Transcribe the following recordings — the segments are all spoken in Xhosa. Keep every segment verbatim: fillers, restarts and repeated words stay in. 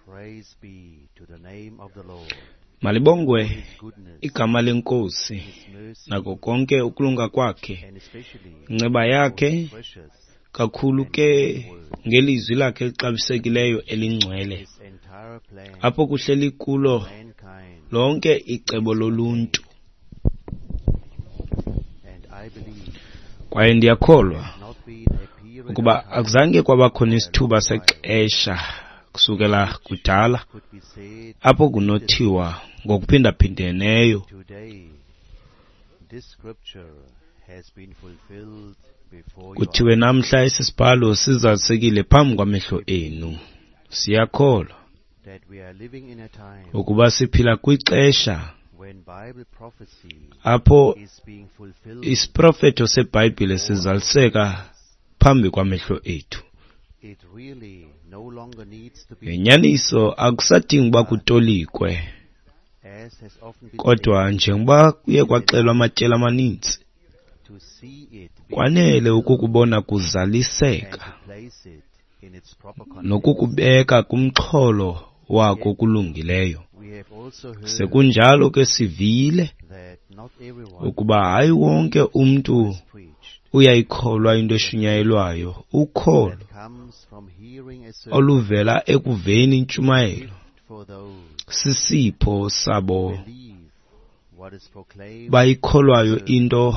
Praise be to the name of the Lord, Malibongwe for his goodness, igama leNkosi his mercy, nako konke ukulunga kwakhe, and especially inceba for yakhe, his precious kakhulu ke ngelizwi lakhe elixabisekileyo elingcwele, his entire plan apho kuhleli kulo mankind. lonke icebo loluntu. And I believe Kwaye ndiyakholwa not been a period ukuba of time akuzange kwabakho nesithuba sexesha kusukela kudala could be said apho kunothiwa ngokuphindaphindeneyo today this scripture has been fulfilled before your kuthiwe namhla esi sibhalo sizalisekile phambi kwamehlo enu. Siyakholwa that we are living in a time ukuba siphila kwixesha when Bible prophecy apho is being fulfilled isiprofeto seBhayibhile sizaliseka phambi kwamehlo ethu. It really no longer needs to be Ngenyaniso akusadingi uba kutolikwe, as has often been kodwa njengoba kuye kwaxelwa amatyeli amaninzi, to see it being kwanele ukukubona and kuzaliseka to place it in its proper context. nokukubeka kumxholo wako kulungileyo. We have also heard Sekunjalo ke sivile that not everyone ukuba hayi wonke umntu is preached uyayikholwa into eshunyayelwayo. Ukholo that comes from hearing a sermon oluvela ekuveni intshumayelo gift for those sisipho sabo believe what is proclaimed. bayikholwayo into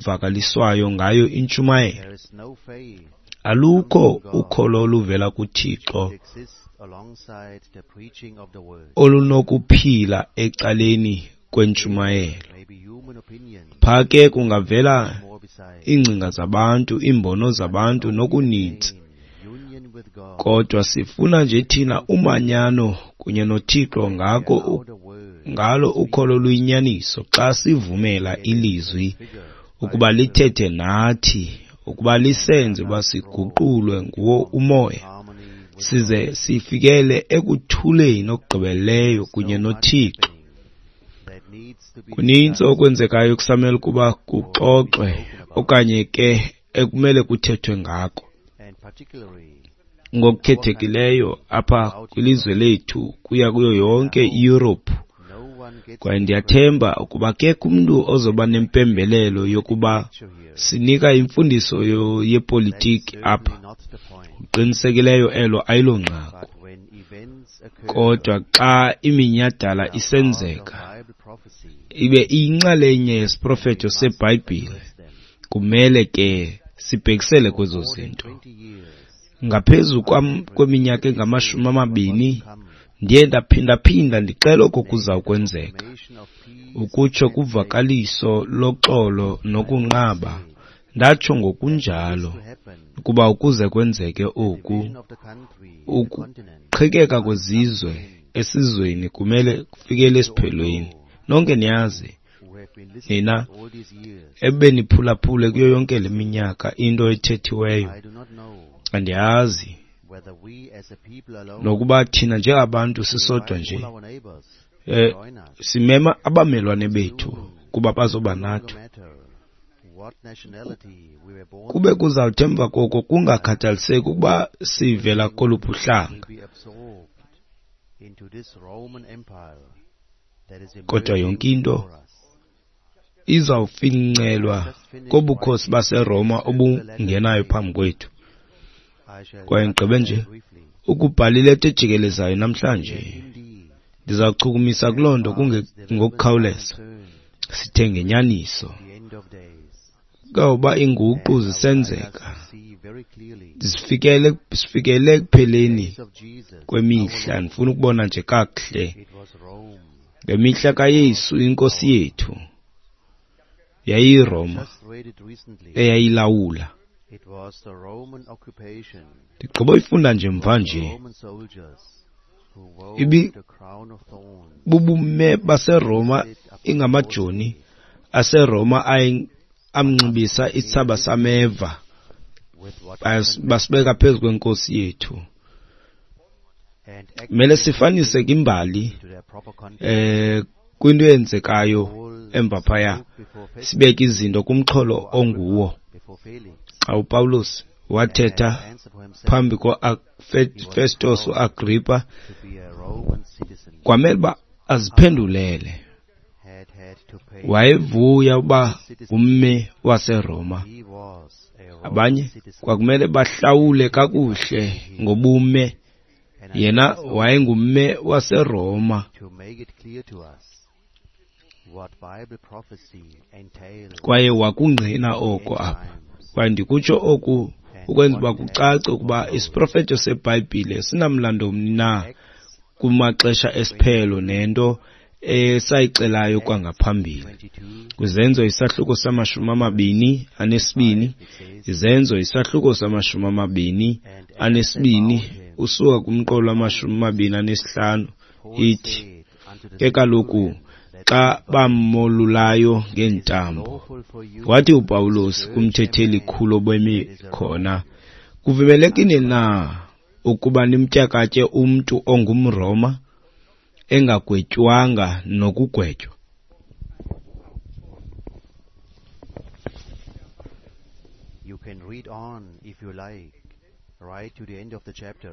evakaliswayo ngayo intshumayelo. There is no faith Alukho ukholo oluvela kuThixo that exists alongside the preaching of the word. olunokuphila ecaleni kwentshumayelo. Maybe human opinion Pha ke kungavela more besides. iingcinga zabantu, iimbono zabantu nokuninzi, Union with God. kodwa sifuna nje thina umanyano kunye noThixo ngako u- How the word ngalo ukholo luyinyaniso xa sivumela ilizwi figured ukuba lithethe nathi, ukuba lisenze uba siguqulwe nguwo umoya, harmony with size sifikele ekuthuleni okugqibeleleyo kunye noThixo. that needs to be Kunintsi okwenzekayo kusamele ukuba kuxoxwe okanye ke ekumele kuthethwe ngako, and particularly ngokukhethekileyo apha kwilizwe lethu kuya kuyo yonke iYurophu. no one gets Kwaye ndiyathemba ukuba akekho umntu ozoba nempembelelo yokuba picture here. sinika imfundiso yo- yepolitiki apha. Certainly not the point. Kuqinisekileyo elo ayilonqaku. But when events occur Kodwa xa iminyhadala that are part of isenzeka Bible prophecy, ibe iyinxalenye yesiprofeto seBhayibhile, address them. kumele ke sibhekisele kwezo More than zinto. twenty years Ngaphezu kwam- kweminyaka engamashumi amabini come ndiye ndaphindaphinda ndixela oko kuza kwenzeka, proclamation of peace ukutsho kuvakaliso loxolo nokunqaba. Ndatsho ngokunjalo to happen. ukuba ukuze kwenzeke oku, Division of the country, the continent, ukuqhekeka kwezizwe esizweni kumele kufikele esiphelweni. Nonke niyazi who have been listening nina all these years. ebeniphulaphule kuyo yonke le minyaka into ethethiweyo. I do not know Andiyazi whether we as a people alone nokuba thina njengabantu sisodwa invite nje all our neighbors to eh join us. simema abamelwane bethu kuba bazoba No nathi. matter what nationality we were born Kube kuzawuthi emva koko kungakhathaliseki ukuba sivela koluphi will uhlanga, be absorbed into this Roman Empire that is kodwa emerging yonke into before us. izawufincelwa kobukhosi baseRoma obungenayo phambi kwethu. I shall Kwaye touch ndigqibe on nje that briefly. ukubhala ileta ejikelezayo namhlanje. Indeed, Ndizawuchukumisa kuloo nto kunge as developments are ngokukhawuleza. concerned, Sithe ngenyaniso the end of days, kawuba iinguqu I would like zisenzeka, us to see very clearly sifikele sifikele ekupheleni the days of Jesus, kwemihla. Ndifuna ukubona nje kakuhle it was Rome. ngemihla kaYesu inkosi yethu yayiyiRoma Just read it recently. eyayilawula. It was the Roman occupation, Ndigqiba uyifunda nje mva the nje. Roman soldiers who wove Ibi- the crown of thorns Bubume baseRoma ingamajoni aseRoma aye amnxibisa isithsaba sameva with what bas- basibeka phezu kwenkosi yethu. and Kumele sifanise ke imbali to their proper context. eh kwinto eyenzekayo emva phaya, Spoke before Festus, sibeke izinto kumxholo onguwo. before Felix, Xa uPawulos Wathetha phambi koFestos uAgrippa, kwamele uba aziphendulele. Wayevuya uba ngummi waseRoma. Abanye kwakumele bahlawule kakuhle ngobume, yena wayengumme waseRoma. Kwaye wakungqina oko apha. Kwaye ndikutsho oku ukwenza uba kucace ukuba isiprofeto seBhayibhile sinamlando mni na kumaxesha esiphelo nento esayixelayo kwangaphambili. Kwizenzo isahluko samashumi amabini anesibini, izenzo isahluko samashumi amabini anesibini usuka kumqolo wamashumi amabini anesihlanu ithi, ke kaloku xa bamolulayo ngeentambo, wathi uPawulos kumthetheli khulu obemi khona, kuvumelekile na ukuba nimtyakatye umntu ongumRoma engagwetywanga nokugwetywa? You can read on if you like, right to the end of the chapter.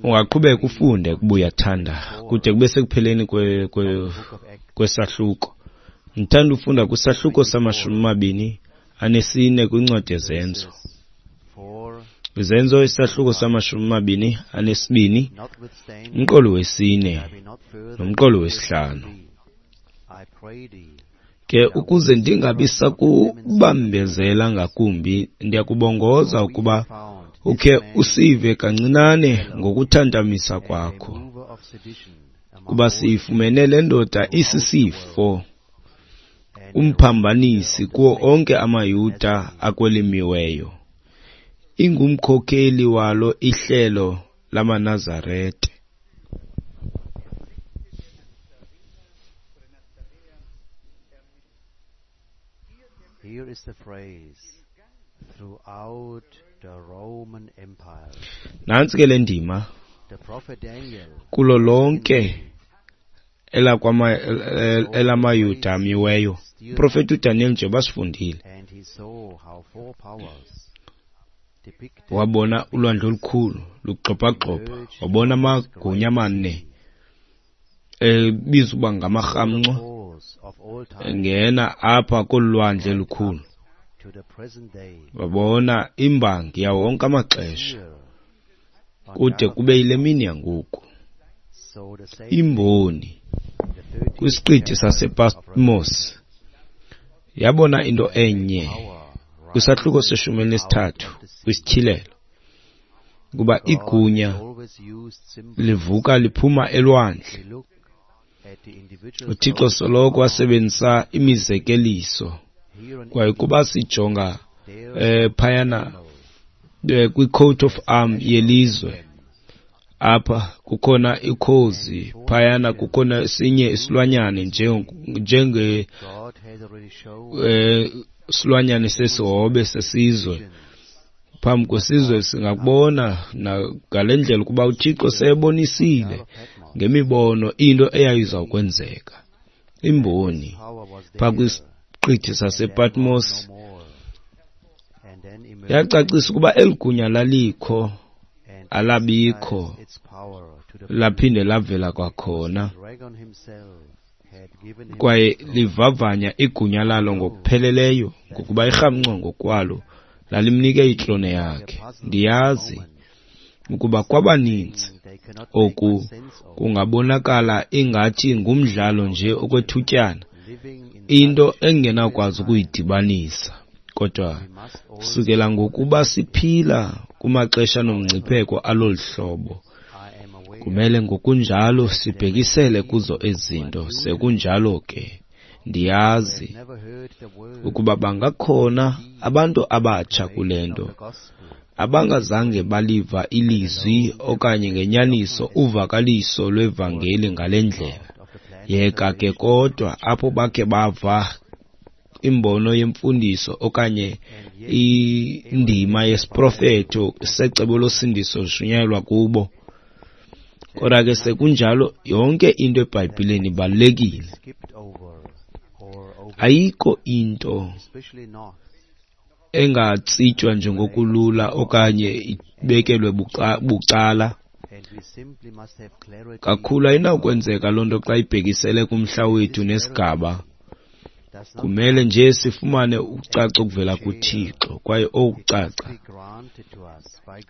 Ungaqhubeka ufunde kuba uyathanda kude kube sekupheleni kwesahluko. Ndithanda ufunda kwisahluko samashumi amabini anesine kwincwadi yeZenzo. Izenzo isahluko samashumi amabini anesibini, umqolo wesine nomqolo wesihlanu. Ke ukuze ndingabi sakubambezela ngakumbi, ndiyakubongoza ukuba ukhe usive kancinane ngokuthantamisa kwakho, kuba siyifumene le ndoda isisifo, umphambanisi kuwo onke amaYuda akwelimiweyo, ingumkhokeli walo ihlelo lamaNazarete. Here is the phrase, throughout the Roman Empire. Nantsi ke le ndima, The prophet Daniel kulo lonke elamaYuda amiweyo. Uprofeti uDaniel nje basifundile, and he saw how four powers depicted wabona ulwandle olukhulu lugxobhagxobha, wabona amagunya amane ebizwa uba ngamarhamncwa course of all time engena apha kolu lwandle lukhulu. to the present day. Wabona imbangi yawo wonke amaxesha Here on kude kube yile mini yangoku. so the same Imboni the thirteenth kwisiqithi sasePatmos yabona into enye power kwisahluko seshumi elinesithathu kwisityhilelo, kuba igunya always used symbols. livuka liphuma elwandle. We look at the individual uThixo soloko wasebenzisa imizekeliso, here and kwaye kuba sijonga there eh phayana eh, kwi-coat of arm yelizwe, apha kukhona ikhozi, phayana kukhona esinye isilwanyane njenge God has already shown eh silwanyane sesihobe sesizwe. Phambi kwesizwe singakubona ngale ndlela ukuba uThixo seyebonisile ngemibono into eyayizawukwenzeka. Imboni power was phaa there kwisiqithi sasePatmos no more. And then emerged yacacisa ukuba eli gunya lalikho and alabikho, its power to the laphinde lavela kwakhona, dragon himself had given him kwaye livavanya igunya lalo ngokupheleleyo, ngokuba irhamncwa ngokwalo lalimnike itrone yakhe. Ndiyazi ukuba kwabaninzi they cannot make oku much sense of kungabonakala ingathi ngumdlalo nje okwethutyana, living in into engenakwazi ukuyidibanisa. Kodwa we must all sukela ngokuba siphila kumaxesha nomngcipheko alolu hlobo, I am aware kumele ngokunjalo sibhekisele kuzo ezi zinto. Sekunjalo ke ndiyazi never heard the word ukuba bangakhona abantu abatsha kule nto the gospel abangazange baliva ilizwi okanye ngenyaniso uvakaliso lwevangeli ngale ndlela. of the plan Yeka ke kodwa apho bakhe bava imbono yemfundiso okanye indima yesiprofeto secebo losindiso lishunyayelwa kubo. Kodwa ke sekunjalo yonke into eBhayibhileni ibalulekile. skipped over or over Ayikho into especially not engatsitywa njengokulula okanye ibekelwe bucala. Kakhulu ayinakwenzeka loo nto xa ibhekisele kumhla wethu nesigaba. Kumele nje sifumane ukucaca okuvela kuThixo, kwaye okucaca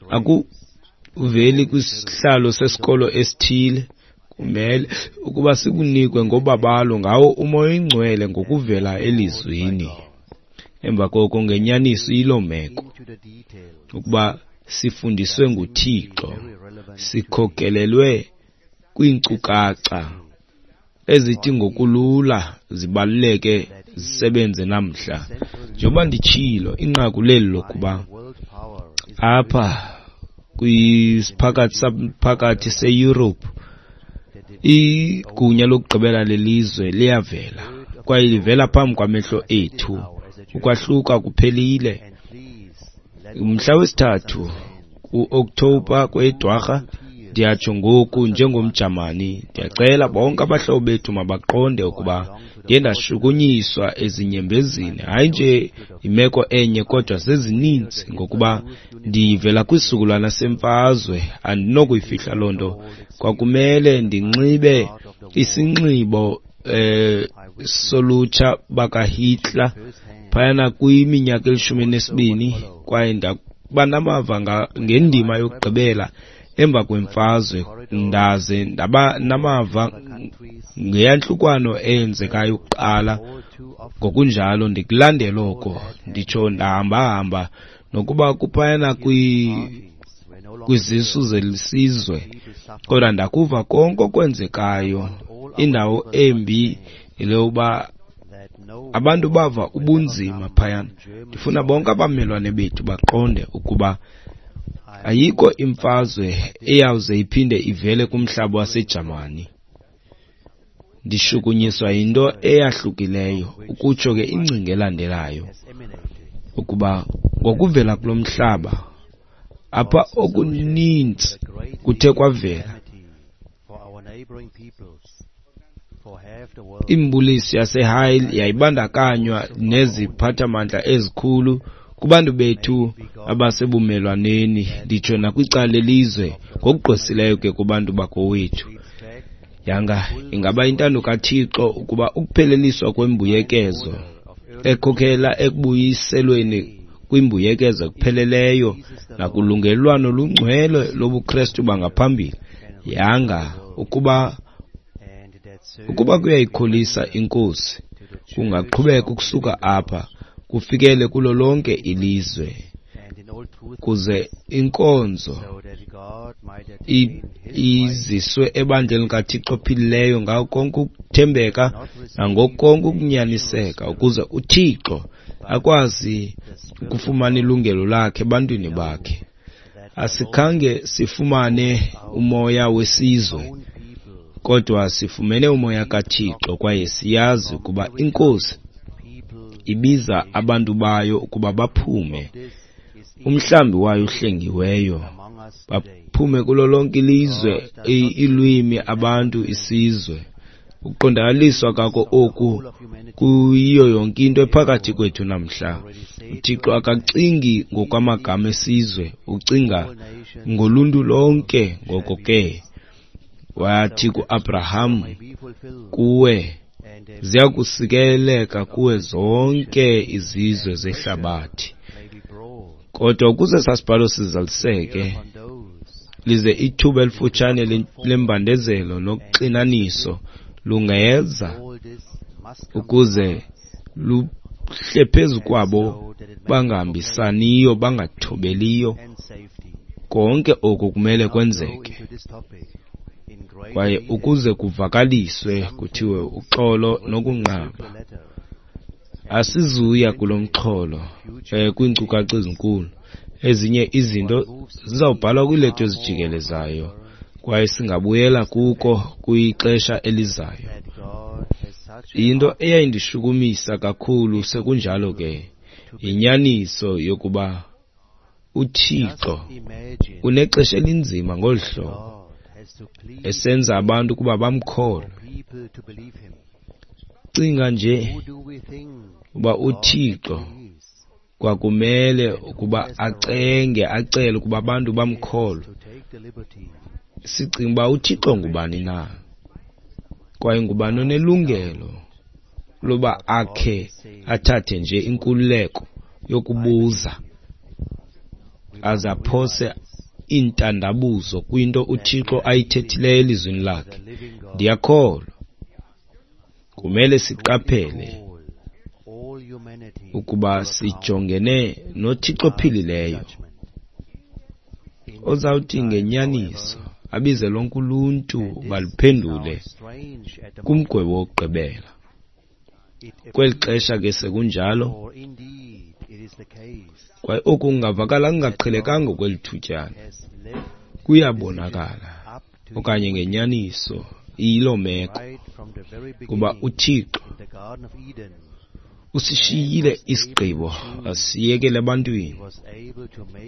akuveli kwisihlalo sesikolo esithile. Kumele ukuba sikunikwe ngobabalo ngawo uMoya oyiNgcwele ngokuvela elizwini. Emva koko ngenyaniso iyiloo meko ukuba sifundiswe nguThixo, sikhokelelwe kwiinkcukacha ezithi ngokulula zibaluleke zisebenze namhla. Njengoba nditshilo, inqaku leli lokuba apha kwisiphakathi saphakathi seYurophu igunya lokugqibela lelizwe liyavela, kwaye livela phambi kwamehlo ethu. Ukwahluka kuphelile. Umhla wesithathu ku-Okthobha kweyeDwarha, ndiyatsho ngoku njengomJamani, ndiyacela bonke abahlobo bethu mabaqonde ukuba ndiye ndashukunyiswa ezinyembezini, hayi nje imeko enye kodwa zezininzi, ngokuba ndivela kwisizukulwana semfazwe, andinokuyifihla loo nto. Kwakumele ndinxibe isinxibo eh solutsha bakaHitler phayana kwiminyaka elishumi elinesibini, kwaye ndakuba namava ngendima yokugqibela emva kwemfazwe, ndaze ndaba namava ngeyantlukwano eyenzekayo kuqala. Ngokunjalo ndikulandela oko, nditsho ndahamba-hamba nokuba kuphayana kwizisu zelisizwe, kodwa ndakuva konke okwenzekayo. Indawo embi yile yokuba abantu bava ubunzima phayana. Ndifuna bonke abamelwane bethu baqonde ukuba ayikho imfazwe eyawuze iphinde ivele kumhlaba waseJamani. Ndishukunyiswa yinto eyahlukileyo, ukutsho ke ingcinga elandelayo, ukuba ngokuvela kulo mhlaba apha okuninzi kuthe kwavela. Imbuliso yaseHeil yayibandakanywa neziphathamandla ezikhulu kubantu bethu abasebumelwaneni, nditsho nakwicala lelizwe, ngokugqwesileyo ke kubantu bakowethu. Yanga ingaba intando kaThixo ukuba ukupheleliswa kwembuyekezo ekhokhela ekubuyiselweni kwimbuyekezo ekupheleleyo nakulungelelwano olungcwele lobuKrestu bangaphambili. Yanga ukuba ukuba kuyayikholisa iNkosi, kungaqhubeka ukusuka apha kufikele kulo lonke ilizwe, kuze inkonzo iziswe ebandleni kaThixo ophilileyo ngako konke ukuthembeka nangokonke ukunyaniseka, ukuze uThixo akwazi ukufumana ilungelo lakhe ebantwini bakhe. Asikhange sifumane umoya wesizwe, kodwa sifumene umoya kaThixo, kwaye siyazi ukuba iNkosi ibiza abantu bayo ukuba baphume, umhlambi wayo uhlengiweyo, baphume kulo lonke ilizwe, iilwimi, abantu, isizwe. Ukuqondakaliswa kako oku kuyiyo yonke into ephakathi kwethu namhla. UThixo akacingi ngokwamagama esizwe, ucinga ngoluntu lonke. Ngoko ke wathi kuAbraham, kuwe ziya kusikeleleka kuwe zonke izizwe zehlabathi. Kodwa ukuze sasibhalo sizaliseke, lize ithuba elifutshane lembandezelo noxinaniso lungeza, ukuze luhle phezu kwabo bangahambisaniyo, bangathobeliyo. Konke oku kumele kwenzeke, kwaye ukuze kuvakaliswe kuthiwe uxolo nokunqaba. Asizuya kulo mxholo eh, kwiinkcukacha ezinkulu. Ezinye izinto zizawubhalwa kwiileta ezijikelezayo, kwaye singabuyela kuko kwixesha elizayo. Into eyayindishukumisa kakhulu sekunjalo ke yinyaniso yokuba uThixo unexesha elinzima ngolu hlobo, esenza abantu ukuba bamkholwe. Cinga nje uba uThixo Kwakumele ukuba acenge, acele ukuba abantu bamkholwe. Sicinga uba uThixo ngubani na? Kwaye ngubani onelungelo loba akhe athathe nje inkululeko yokubuza aze aphose iintandabuzo kwinto uThixo ayithethileyo elizwini lakhe? Ndiyakholwa kumele siqaphele ukuba sijongene noThixo ophilileyo ozawuthi ngenyaniso abize lonke uluntu baluphendule kumgwebo wokugqibela. Kweli xesha ke sekunjalo, kwaye oku kungavakala kungaqhelekanga kweli thutyana, kuyabonakala okanye ngenyaniso iyiloo meko, kuba uThixo usishiyile isigqibo asiyekele ebantwini.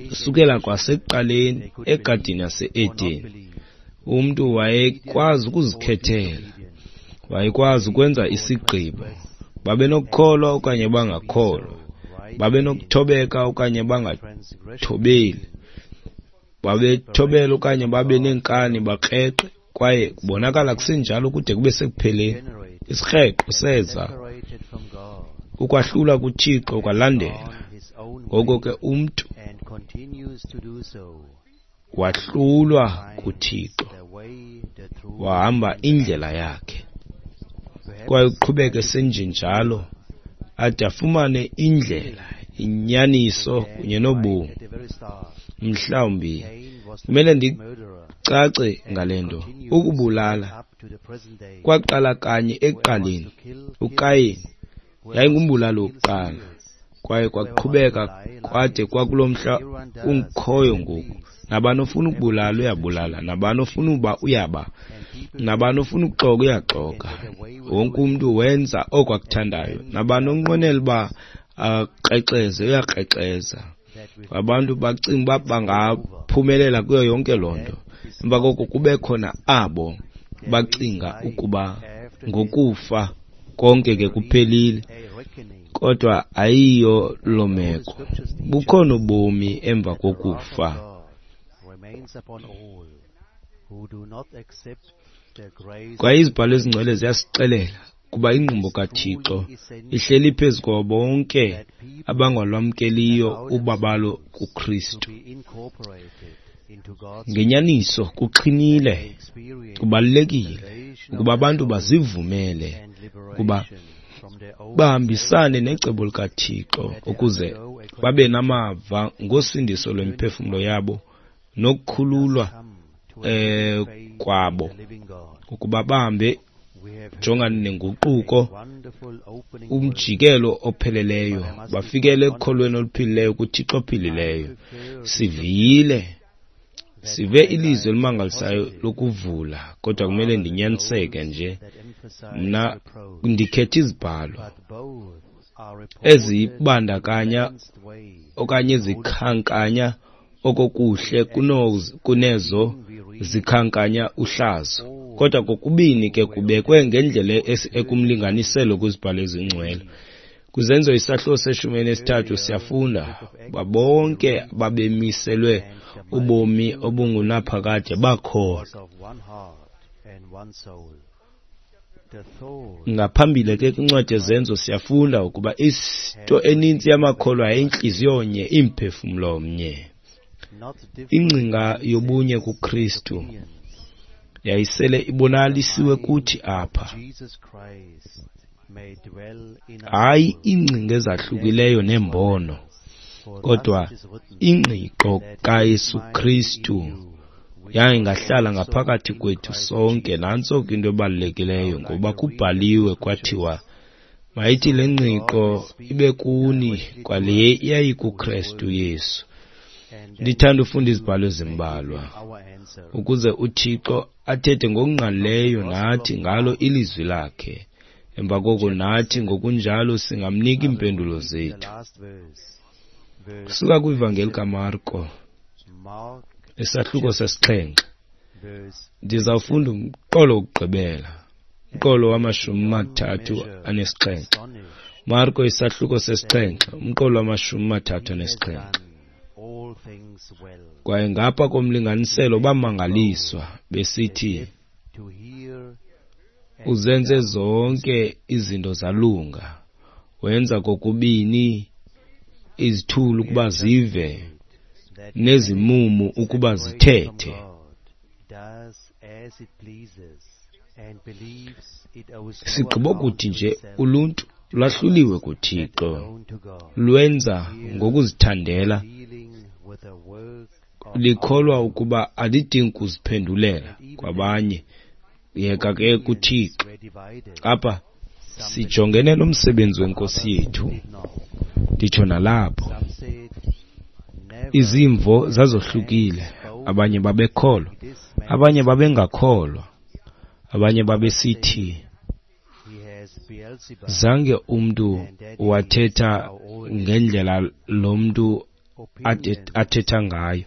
Kusukela kwasekuqaleni egadini yase-Edeni, umntu wayekwazi ukuzikhethela, wayekwazi ukwenza isigqibo. Babenokukholwa okanye bangakholwa, babenokuthobeka okanye bangathobeli, babethobela okanye babe neenkani bakreqe, kwaye kubonakala kusenjalo kude kube sekupheleni. Isikreqo seza, ukwahlulwa kuThixo kwalandela. Ngoko ke umntu wahlulwa kuThixo, wahamba indlela yakhe, kwaye uqhubeke senjenjalo ade afumane indlela, inyaniso kunye nobomi. Mhlawumbi kumele ndicace ngale nto. Ukubulala kwaqala kanye ekuqaleni. UKayini yayingumbulali wokuqala, kwaye kwaqhubeka kwade kwakulo mhla ungikhoyo ngoku. Nabani ofuna ukubulala uyabulala, nabani ofuna uba uyaba, nabani ofuna ukuxoka uyaxoka. Wonke umntu wenza oko akuthandayo. Nabani onqwenela uba akrexeze uyakrexeza. Abantu bacinga uba bangaphumelela kuyo yonke loo nto. Emva koko kube khona abo bacinga ukuba ngokufa konke ke kuphelile, kodwa ayiyo loo meko. Bukhona ubomi emva kokufa. Kwaye izibhalo ezingcwele ziyasixelela kuba ingqumbo kaThixo ihleli phezu kwabo bonke abangalwamkeliyo ubabalo kuKristu. Ngenyaniso kuxhinile, kubalulekile ukuba abantu bazivumele ukuba bahambisane necebo likaThixo ukuze babe namava ngosindiso lwemiphefumlo yabo nokukhululwa eh kwabo, ukuba bahambe jongane nenguquko, umjikelo opheleleyo, bafikele ekukholweni oluphilileyo kuThixo ophilileyo. Sivile, sive ilizwi elimangalisayo lokuvula, kodwa kumele ndinyaniseke nje. Mna ndikhetha izibhalo ezibandakanya okanye ezikhankanya okokuhle kunezo zikhankanya uhlazo. Kodwa kokubini ke kubekwe ngendlela ekumlinganiselo kwizibhalo ezingcwele. Kwizenzo isahluko seshumi elinesithathu siyafunda uba bonke babemiselwe ubomi obungunaphakade bakholwa. Ngaphambili ke kwincwadi yeZenzo siyafunda ukuba into enintsi yamakholwa yayintliziyo nye, imphefumlo mnye. Ingcinga yobunye kuKristu yayisele ibonakalisiwe kuthi apha. Hayi iingcinga ezahlukileyo neembono, kodwa ingqiqo kaYesu Kristu yayingahlala ngaphakathi kwethu sonke. Nantso ke into ebalulekileyo, ngoba kubhaliwe kwathiwa mayithi le ngqiqo ibe kuni kwale yayikuKristu Yesu. Ndithanda ufunda izibhalo ezimbalwa ukuze uThixo athethe ngokungqalileyo nathi ngalo ilizwi lakhe. Emva koko nathi ngokunjalo singamnika iimpendulo zethu. Kusuka kwivangeli kaMarko isahluko sesixhenxe, ndizawufunda umqolo wokugqibela, umqolo wamashumi amathathu anesixhenxe. Marko isahluko sesixhenxe, umqolo wamashumi amathathu anesixhenxe. Kwaye ngapha komlinganiselo bamangaliswa besithi, uzenze zonke izinto zalunga, wenza kokubini izithulu ukuba zive nezimumu ukuba zithethe. Sigqibo kuthi nje uluntu lwahluliwe kuThixo, lwenza ngokuzithandela, likholwa ukuba alidingi kuziphendulela kwabanye, yeka ke kuThixo. Apha sijongene nomsebenzi wenkosi yethu, nditsho nalapho izimvo zazohlukile. Abanye babekholwa, abanye babengakholwa, abanye babesithi zange umntu wathetha ngendlela lo mntu athetha ngayo.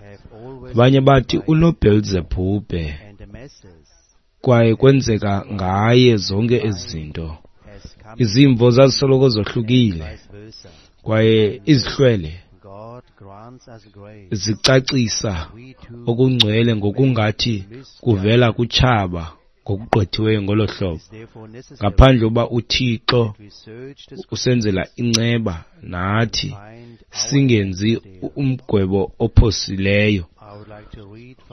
Abanye bathi unoBhelzebhubhe, kwaye kwenzeka ngaye zonke ezi zinto. Izimvo zazisoloko zohlukile, kwaye izihlwele zicacisa okungcwele ngokungathi kuvela kutshaba ngokugqwethiweyo ngolo hlobo, ngaphandle uba uThixo usenzela inceba nathi singenzi umgwebo ophosileyo.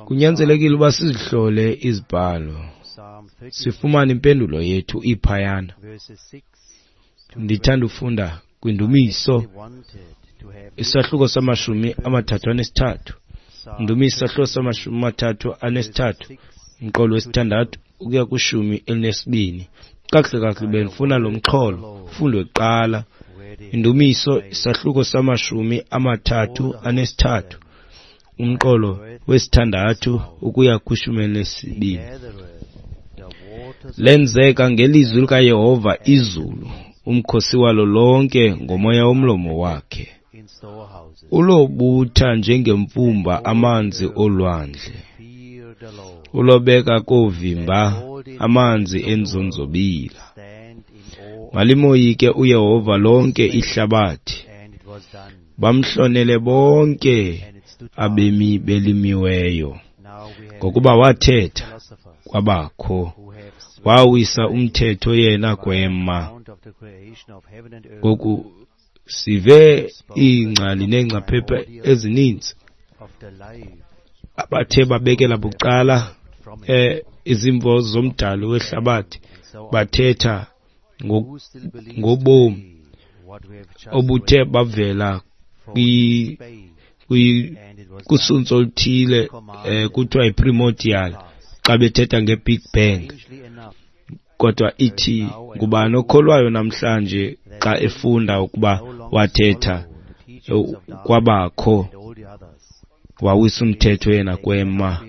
Kunyanzelekile uba sizihlole izibhalo, sifumane impendulo yethu iphayana. Ndithanda ufunda kwiNdumiso isahluko samashumi amathathu anesithathu. Ndumiso isahluko samashumi amathathu anesithathu, umqolo wesithandathu ukuya kwishumi elinesibini. Kakuhle kakuhle bendifuna lo mxholo ufundwe kuqala. Indumiso isahluko samashumi amathathu anesithathu, umqolo wesithandathu ukuya kwishumi elinesibini. Lenzeka ngelizwi likaYehova izulu, umkhosi walo lonke ngomoya womlomo wakhe. Ulobutha njengemfumba amanzi olwandle, ulobeka koovimba amanzi enzonzobila. Malimoyike uYehova lonke ihlabathi, bamhlonele bonke abemi belimiweyo. Ngokuba wathetha, kwabakho, wawisa umthetho yena kwema. Ngoku sive iingcali neengcaphephe ezininzi abathe babekela bucala eh izimvo zomdali wehlabathi, bathetha ngobomi obuthe bavela kwi kusuntsu oluthile, eh kuthiwa yi-primordial xa bethetha nge-Big Bang. Kodwa ithi ngubani okholwayo namhlanje xa efunda ukuba wathetha kwabakho, wawisa umthetho yena kwema.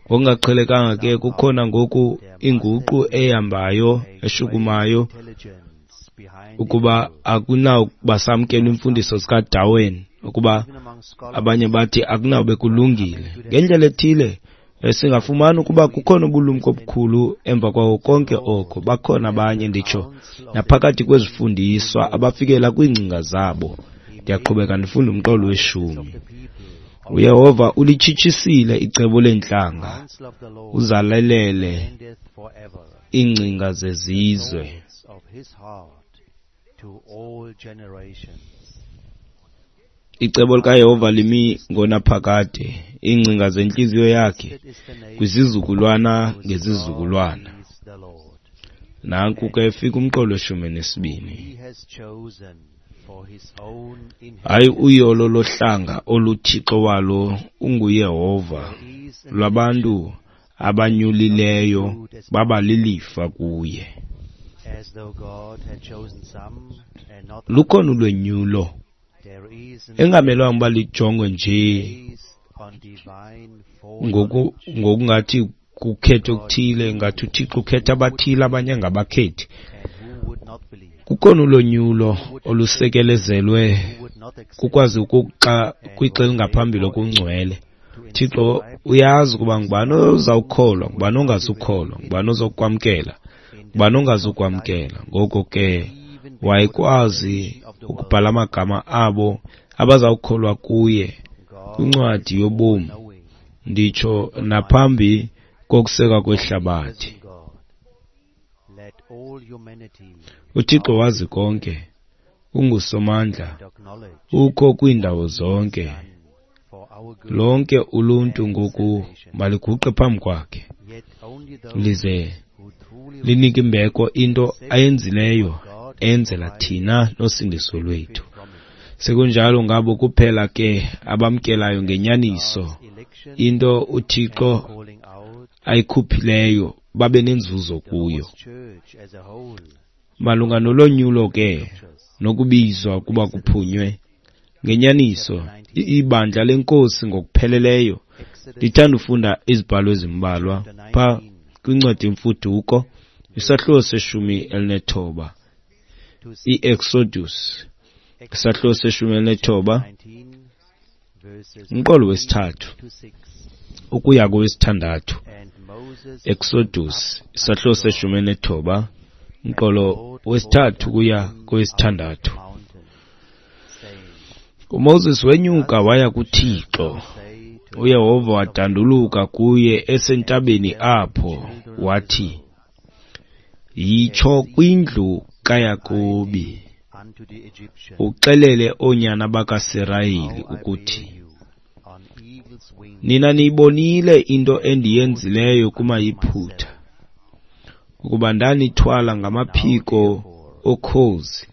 Ngokungaqhelekanga ke kukhona ngoku inguqu ehambayo eshukumayo ukuba akunawukuba samkela imfundiso zikaDarwin, ukuba abanye bathi akunawube kulungile. Ngendlela ethile singafumana ukuba kukhona ubulumko obukhulu emva kwawo konke oko. Bakhona abanye, nditsho naphakathi kwezifundiswa, abafikela kwiingcinga zabo. Ndiyaqhubeka ndifunda umqolo weshumi. uYehova ulitshitshisile icebo leentlanga, uzalelele iingcinga zezizwe. Icebo likaYehova limi ngonaphakade, iingcinga zentliziyo yakhe kwizizukulwana ngezizukulwana. Nanku ke efika umqolo weshumi nesibini. Hayi uyolo lohlanga oluThixo walo unguYehova, lwabantu abanyulileyo baba lilifa kuye. Lukhona ulwenyulo engamelwanga uba lijongwe nje ngoku ngokungathi kukhetho okuthile, ngathi uThixo ukhetha abathile abanye angabakhethi. Kukhona ulonyulo olusekelezelwe kukwazi ukuxa kwixa elingaphambili okungcwele. Thixo uyazi ukuba ngubani ozawukholwa, ngubani ongazukholwa, ngubani ozokwamkela, ngubani ongazukwamkela. Ngoko ke Wayekwazi ukubhala amagama abo abazawukholwa kuye kwincwadi yobomi, nditsho naphambi kokusekwa kwehlabathi. UThixo wazi konke, ungusomandla, ukho kwiindawo zonke. Lonke uluntu ngoku maliguqe phambi kwakhe, lize linike imbeko into ayenzileyo enzela thina nosindiso lwethu. Sekunjalo ngabo kuphela ke abamkelayo ngenyaniso into uThixo ayikhuphileyo babe nenzuzo kuyo. Malunga nolonyulo ke nokubizwa ukuba kuphunywe ngenyaniso ibandla lenkosi ngokupheleleyo, ndithanda ufunda izibhalo ezimbalwa pha kwincwadi yemfuduko, isahluko seshumi elinethoba, iExodus, isahluko seshumi elinethoba, umqolo wesithathu ukuya kowesithandathu. Exodus, isahluko seshumi elinethoba, umqolo wesithathu ukuya kowesithandathu. UMoses wenyuka waya kuThixo. uYehova wadanduluka kuye esentabeni apho, wathi, yitsho kwindlu kaYakobi, uxelele oonyana bakaSirayeli ukuthi, nina niyibonile into endiyenzileyo kumaYiphutha, ukuba ndanithwala ngamaphiko okhozi,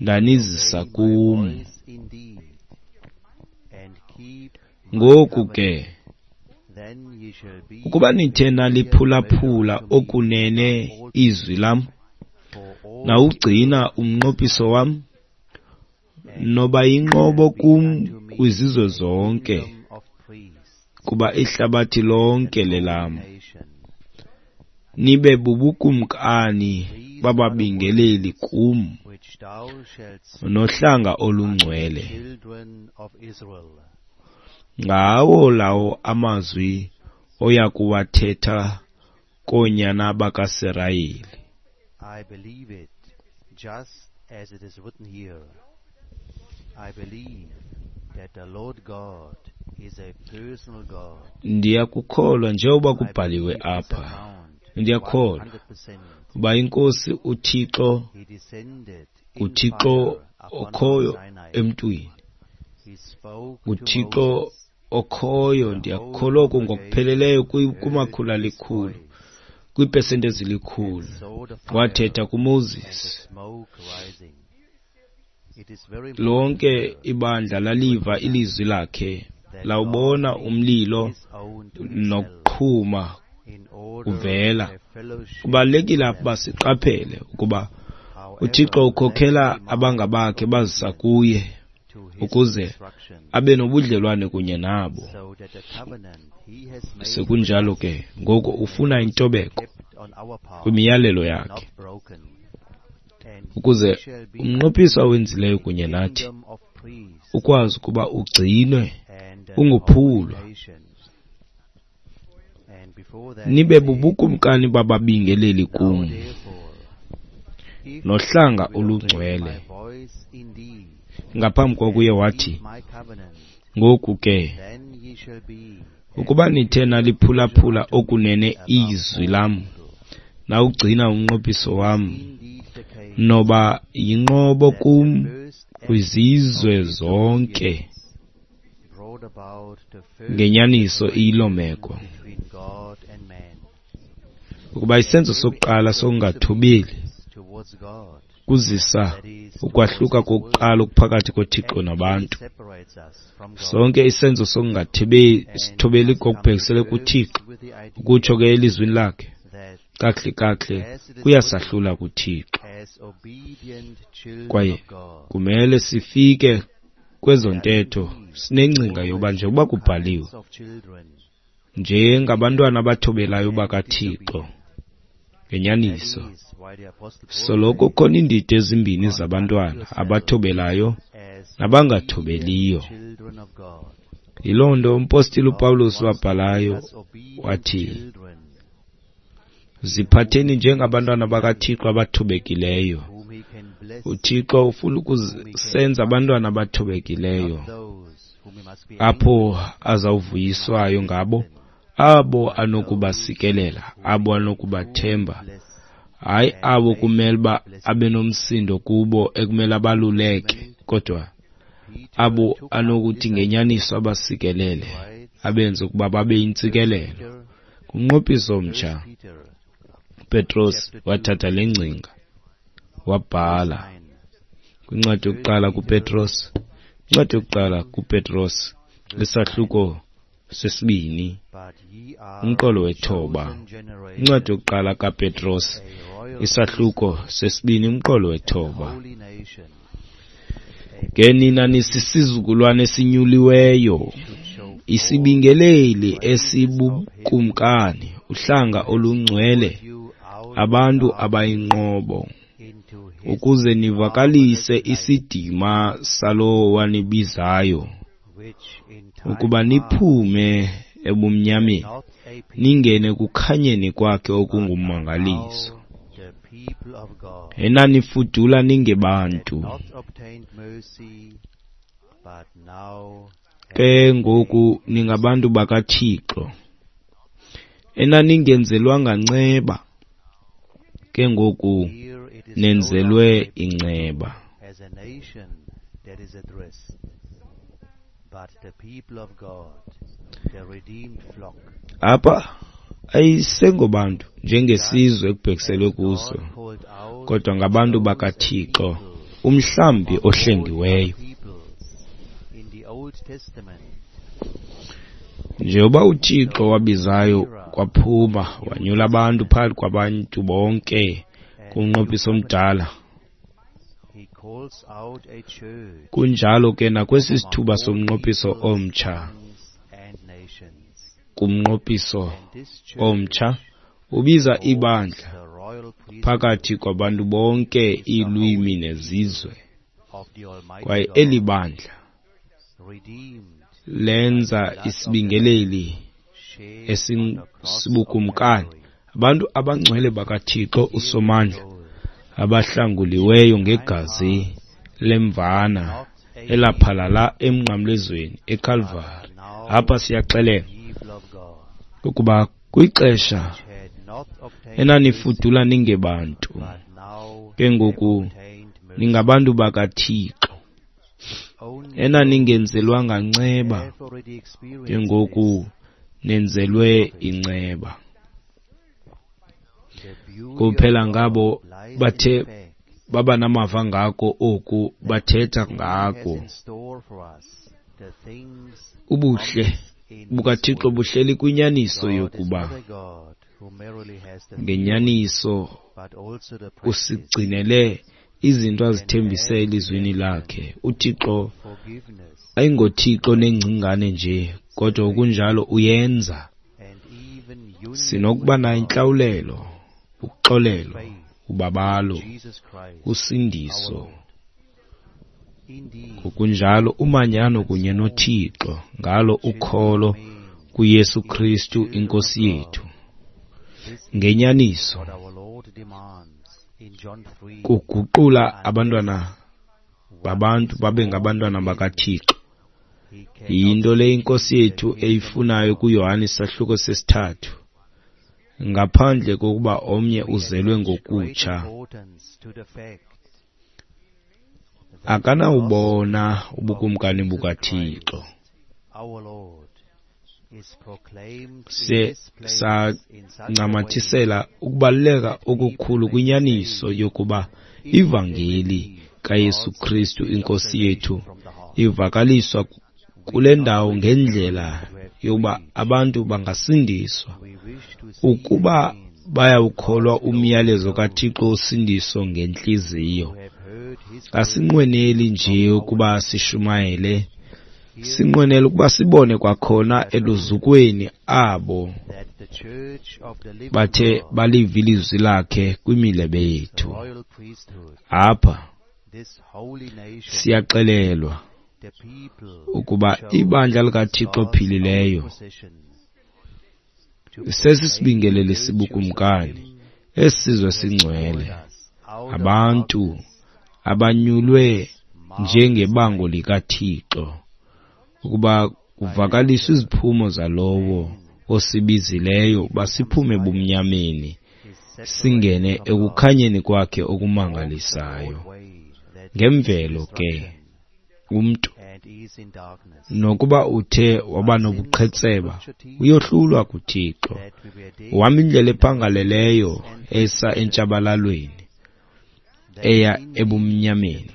ndanizisa kum. Ngoku ke, ukuba nithe naliphulaphula okunene izwi lam, nawugcina umnqophiso wam, noba yinqobo kum kwizizwe zonke, kuba ihlabathi lonke lelam. Nibe bubukumkani bababingeleli kum, nohlanga olungcwele. Ngawo lawo amazwi oya kuwathetha koonyana bakaSirayeli. I believe it, just as it is written here. I believe that the Lord God is a personal God. Ndiyakukholwa njengoba kubhaliwe apha. Ndiyakholwa uba iNkosi uThixo nguThixo okhoyo emntwini, nguThixo okhoyo. Ndiyakholwa oku ngokupheleleyo kumakhulu alikhulu, kwiipesenti ezilikhulu. Wathetha kuMoses. Lonke ibandla laliva ilizwi lakhe, lawubona umlilo nokuqhuma kuvela. Kubalulekile apha uba siqaphele ukuba uThixo ukhokhela abangabakhe bazisa kuye ukuze abe nobudlelwane kunye nabo. Sekunjalo ke ngoku ufuna intobeko kwimiyalelo yakhe, ukuze umnqophiso awenzileyo kunye nathi ukwazi ukuba ugcinwe ungophulwa. Nibe bubukumkani bababingeleli kum, nohlanga olungcwele. Ngaphambi kokuye wathi, ngoku ke, ukuba nithe naliphulaphula okunene izwi lam, nawugcina umnqophiso wam, noba yinqobo kum kwizizwe zonke. Ngenyaniso iyiloo meko, ukuba isenzo sokuqala sokungathobeli kuzisa ukwahluka kokuqala okuphakathi koThixo nabantu. Sonke isenzo sokungathobeli ngokubhekisele kuThixo, ukutsho ke elizwini lakhe, kakuhle kakuhle kuyasahlula kuThixo. Kwaye kumele sifike kwezo ntetho sinengcinga yoba njengoba kubhaliwe, njengabantwana abathobelayo bakaThixo ngenyaniso, soloko kukhona iindidi ezimbini zabantwana, abathobelayo nabangathobeliyo. Yiloo nto umpostile uPawulos wabhalayo wathi, ziphatheni njengabantwana bakaThixo abathobekileyo, UThixo ufuna ukusenza abantwana abathobekileyo, apho azawuvuyiswayo ngabo, abo anokubasikelela, abo anokubathemba, hayi abo kumele uba abe nomsindo kubo ekumele abaluleke, kodwa abo anokuthi ngenyaniso abasikelele, abenze ukuba babe yintsikelelo. Kumnqophiso omtsha, uPetros wathatha le ngcinga wabhala kwincwadi yokuqala kuPetros, incwadi yokuqala kuPetros, isahluko sesibini, umqolo wethoba. Incwadi yokuqala kaPetros, isahluko sesibini, umqolo wethoba. Ke nina nisisizukulwana esinyuliweyo, isibingeleli esibukumkani, uhlanga olungcwele, abantu abayinqobo, ukuze nivakalise isidima salowo wanibizayo, ukuba niphume ebumnyameni ningene ekukhanyeni kwakhe okungummangaliso. Enanifudula ningebantu, ke ngoku ningabantu bakaThixo. Enaningenzelwanga nceba, ke ngoku nenzelwe inceba. Apha ayisengobantu njengesizwe ekubhekiselwe kuso, kodwa ngabantu bakaThixo, umhlambi ohlengiweyo. Njengoba uThixo wabizayo kwaphuma, wanyula abantu phakathi kwabantu bonke kumnqophiso omdala, kunjalo ke nakwesi sithuba somnqophiso omtsha. Kumnqophiso omtsha ubiza ibandla phakathi kwabantu bonke, iilwimi nezizwe, kwaye eli bandla lenza isibingeleli esibukumkani, abantu abangcwele bakaThixo uSomandla, abahlanguliweyo ngegazi lemvana elaphalala emnqamlezweni eKalvari. Apha siyaxelelwa ukuba kwixesha enanifudula ningebantu, ke ngoku ningabantu bakaThixo. Enaningenzelwanga nceba, ke ngoku nenzelwe inceba. Kuphela ngabo bathe baba namava ngako oku, bathetha ngako. Ubuhle bukaThixo buhleli kwinyaniso yokuba ngenyaniso usigcinele izinto azithembise elizwini lakhe. UThixo ayingoThixo nengcingane nje, kodwa kunjalo uyenza. Sinokuba nayo intlawulelo, uxolelo, ubabalo, usindiso, ngokunjalo umanyano kunye noThixo ngalo ukholo kuYesu Kristu iNkosi yethu. Ngenyaniso kuguqula abantwana babantu babe ngabantwana bakaThixo. Yinto le iNkosi yethu eyifunayo kuYohane isahluko sesithathu, ngaphandle kokuba omnye uzelwe ngokutsha, akanawubona ubukumkani bukaThixo. Se sancamathisela ukubaluleka okukhulu kwinyaniso yokuba ivangeli kaYesu Kristu iNkosi yethu ivakaliswa kule ndawo ngendlela yokuba abantu bangasindiswa ukuba bayawukholwa umyalezo kaThixo wosindiso ngentliziyo. Asinqweneli nje ukuba sishumayele, sinqwenela ukuba sibone kwakhona eluzukweni abo bathe baliva ilizwi lakhe kwimilebe yethu. Apha siyaxelelwa ukuba ibandla likaThixo ophilileyo sesisibingeleli sibukumkani, esisizwe singcwele, Abantu abanyulwe njengebango likaThixo ukuba kuvakaliswe iziphumo zalowo osibizileyo basiphume ebumnyameni singene ekukhanyeni kwakhe okumangalisayo. Ngemvelo ke umntu nokuba uthe waba nobuqhetseba uyohlulwa kuThixo, uhamba indlela ephangaleleyo esa entshabalalweni eya ebumnyameni.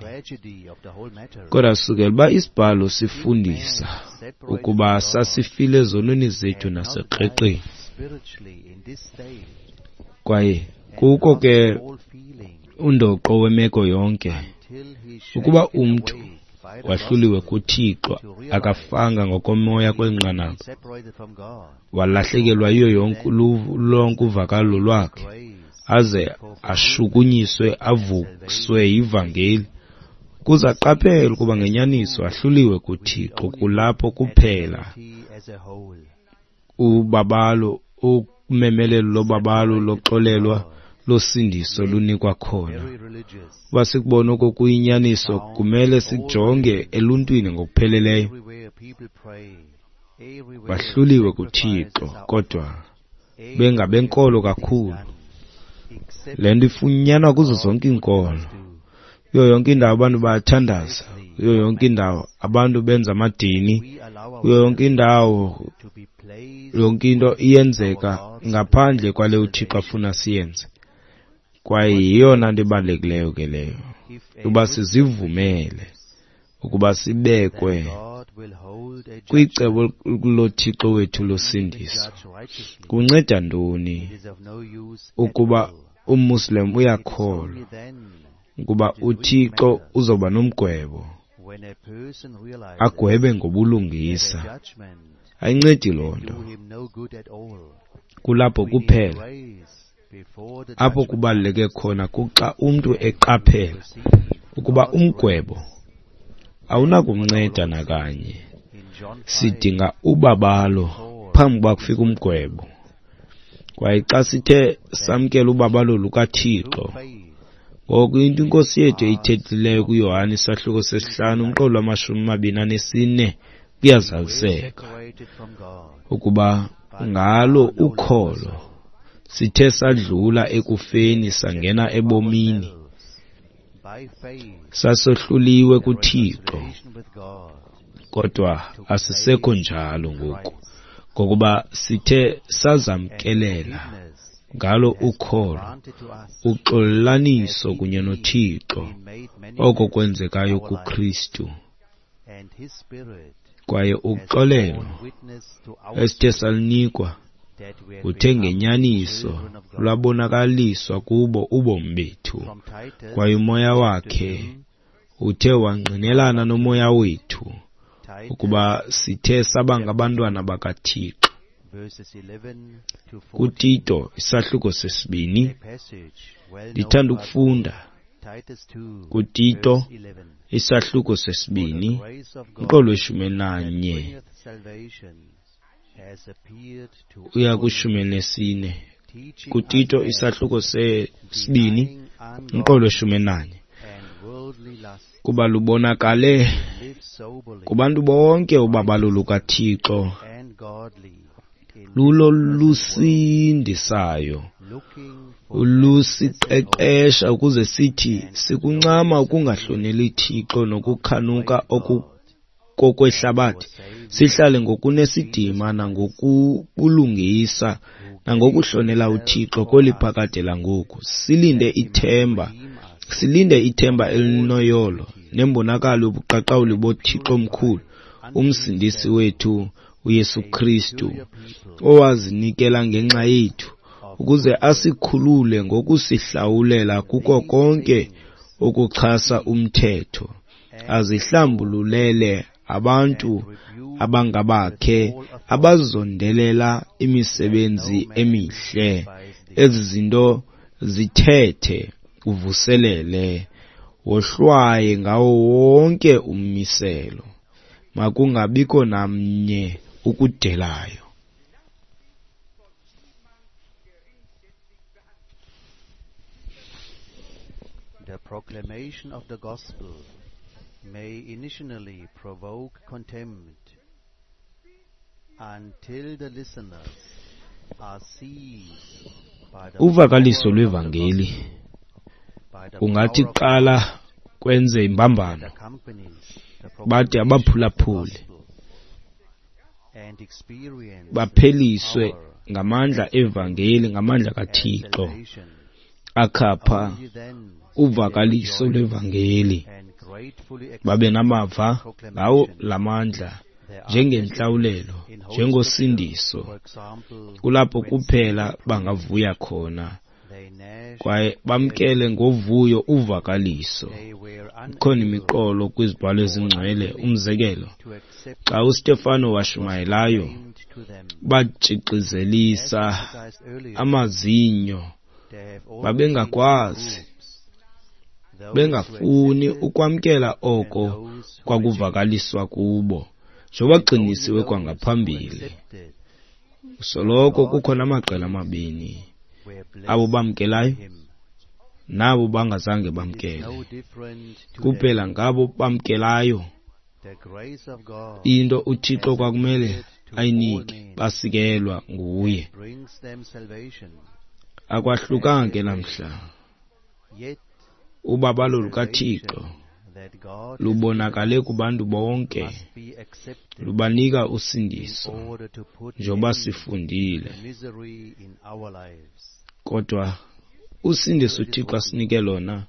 Kodwa sukela uba isibhalo sifundisa ukuba sasifile ezonweni zethu nasekreqeni, kwaye kuko ke undoqo wemeko yonke ukuba umntu wahluliwe kuThixo, akafanga ngokomoya kweli nqanaba, walahlekelwa yiyo yonke lonke uvakalo lwakhe, aze ashukunyiswe avuswe yivangeli ukuze aqaphele ukuba ngenyaniso ahluliwe kuThixo. Kulapho kuphela ubabalo, umemelelo lobabalo loxolelwa losindiso lunikwa khona. Uba sikubona oko kuyinyaniso, kumele sijonge eluntwini ngokupheleleyo. Bahluliwe kuThixo kodwa bengabenkolo kakhulu. Le nto ifunyanwa kuzo zonke iinkolo. Kuyo yonke indawo abantu bayathandaza, kuyo yonke indawo abantu benza amadini, kuyo yonke indawo yonke into iyenzeka ngaphandle kwale uThixo afuna siyenze. Kwaye yiyona nto ibalulekileyo ke leyo, uba sizivumele ukuba sibekwe kwicebo loThixo wethu losindiso. Kunceda ntoni ukuba umMuslim uyakholwa ukuba uThixo uzoba nomgwebo, agwebe ngobulungisa? Ayincedi loo nto. Kulapho kuphela apho kubaluleke khona kuxa umntu eqaphela ukuba umgwebo awunakumnceda nakanye. Sidinga ubabalo phambi kuba kufika umgwebo. Kwaye xa sithe samkela ubabalo lukaThixo, ngoku into iNkosi yethu eyithethileyo kuYohane isahluko sesihlanu umqolo wamashumi amabini anesine kuyazaliseka ukuba ngalo ukholo sithe sadlula ekufeni sangena ebomini. Sasohluliwe kuThixo, kodwa asisekho njalo ngoku, ngokuba sithe sazamkelela ngalo ukholo uxolelaniso kunye noThixo, oko kwenzekayo kuKristu. Kwaye uxolelo esithe salunikwa uthe ngenyaniso lwabonakaliswa kubo ubomi bethu, kwaye umoya wakhe uthe wangqinelana nomoya wethu ukuba sithe saba ngabantwana bakaThixo. KuTito isahluko sesibini, ndithanda ukufunda kuTito isahluko sesibini umqolo weshumi elinanye uya kwishumi elinesine. KuTito isahluko sesibini umqolo weshumi elinanye, kuba lubonakale kubantu bonke ubabalo lukaThixo lulo lusindisayo, lusiqeqesha ukuze sithi sikuncama ukungahloneli Thixo nokukhanuka okukokwehlabathi, sihlale ngokunesidima nangokubulungisa nangokuhlonela uThixo kweli phakade langoku, silinde ithemba, silinde ithemba elinoyolo nembonakalo yobuqaqawuli boThixo omkhulu, uMsindisi wethu uYesu Kristu, owazinikela ngenxa yethu ukuze asikhulule ngokusihlawulela kuko konke ukuchasa umthetho, azihlambululele abantu abangabakhe abazondelela imisebenzi emihle. Ezi zinto zithethe uvuselele, wohlwaye ngawo wonke ummiselo, makungabikho namnye ukudelayo. proclamation of the gospel may initially provoke contempt until the listeners are seized by the Uvakaliso power of the lwevangeli gospel, by the kungathi power of qala kwenze imbambano, that accompanies the bade proclamation of the abaphulaphuli gospel and experience bapheliswe power ngamandla evangeli, ngamandla and kaThixo salvation. akhapha Only then uvakaliso they rejoice lwevangeli, and gratefully accept babe namava ngawo proclamation. lamandla There are njengentlawulelo, in Holy njengosindiso. Scripture, for example, Kulapho when kuphela Stephen bangavuya khona they gnashed kwaye bamkele ngovuyo uvakaliso. they were Ikhona unable imiqolo kwizibhalo ezingcwele. Umzekelo, to accept xa uStefano washumayelayo, claimed to them. batshixizelisa As emphasized earlier, amazinyo, there have always babengakwazi, been two groups, those who bengafuni accepted ukwamkela and oko those who rejected. kwakuvakaliswa kubo, njengoba And only gqinisiwe those who kwangaphambili. accepted Soloko God kukho namaqela amabini, were blessed abo by bamkelayo him. nabo bangazange It is bamkele. no different today. Kuphela ngabo bamkelayo The grace of God into uThixo has kwakumele appeared to all ayinike, men basikelwa nguye. and brings them salvation. Akwahlukanga ke namhla. Yet Ubabalo lukaThixo salvation that God has lubonakale kubantu bonke, must be accepted lubanika in usindiso order to put njengoba end sifundile. to misery in our lives. Kodwa usindiso uThixo asinike lona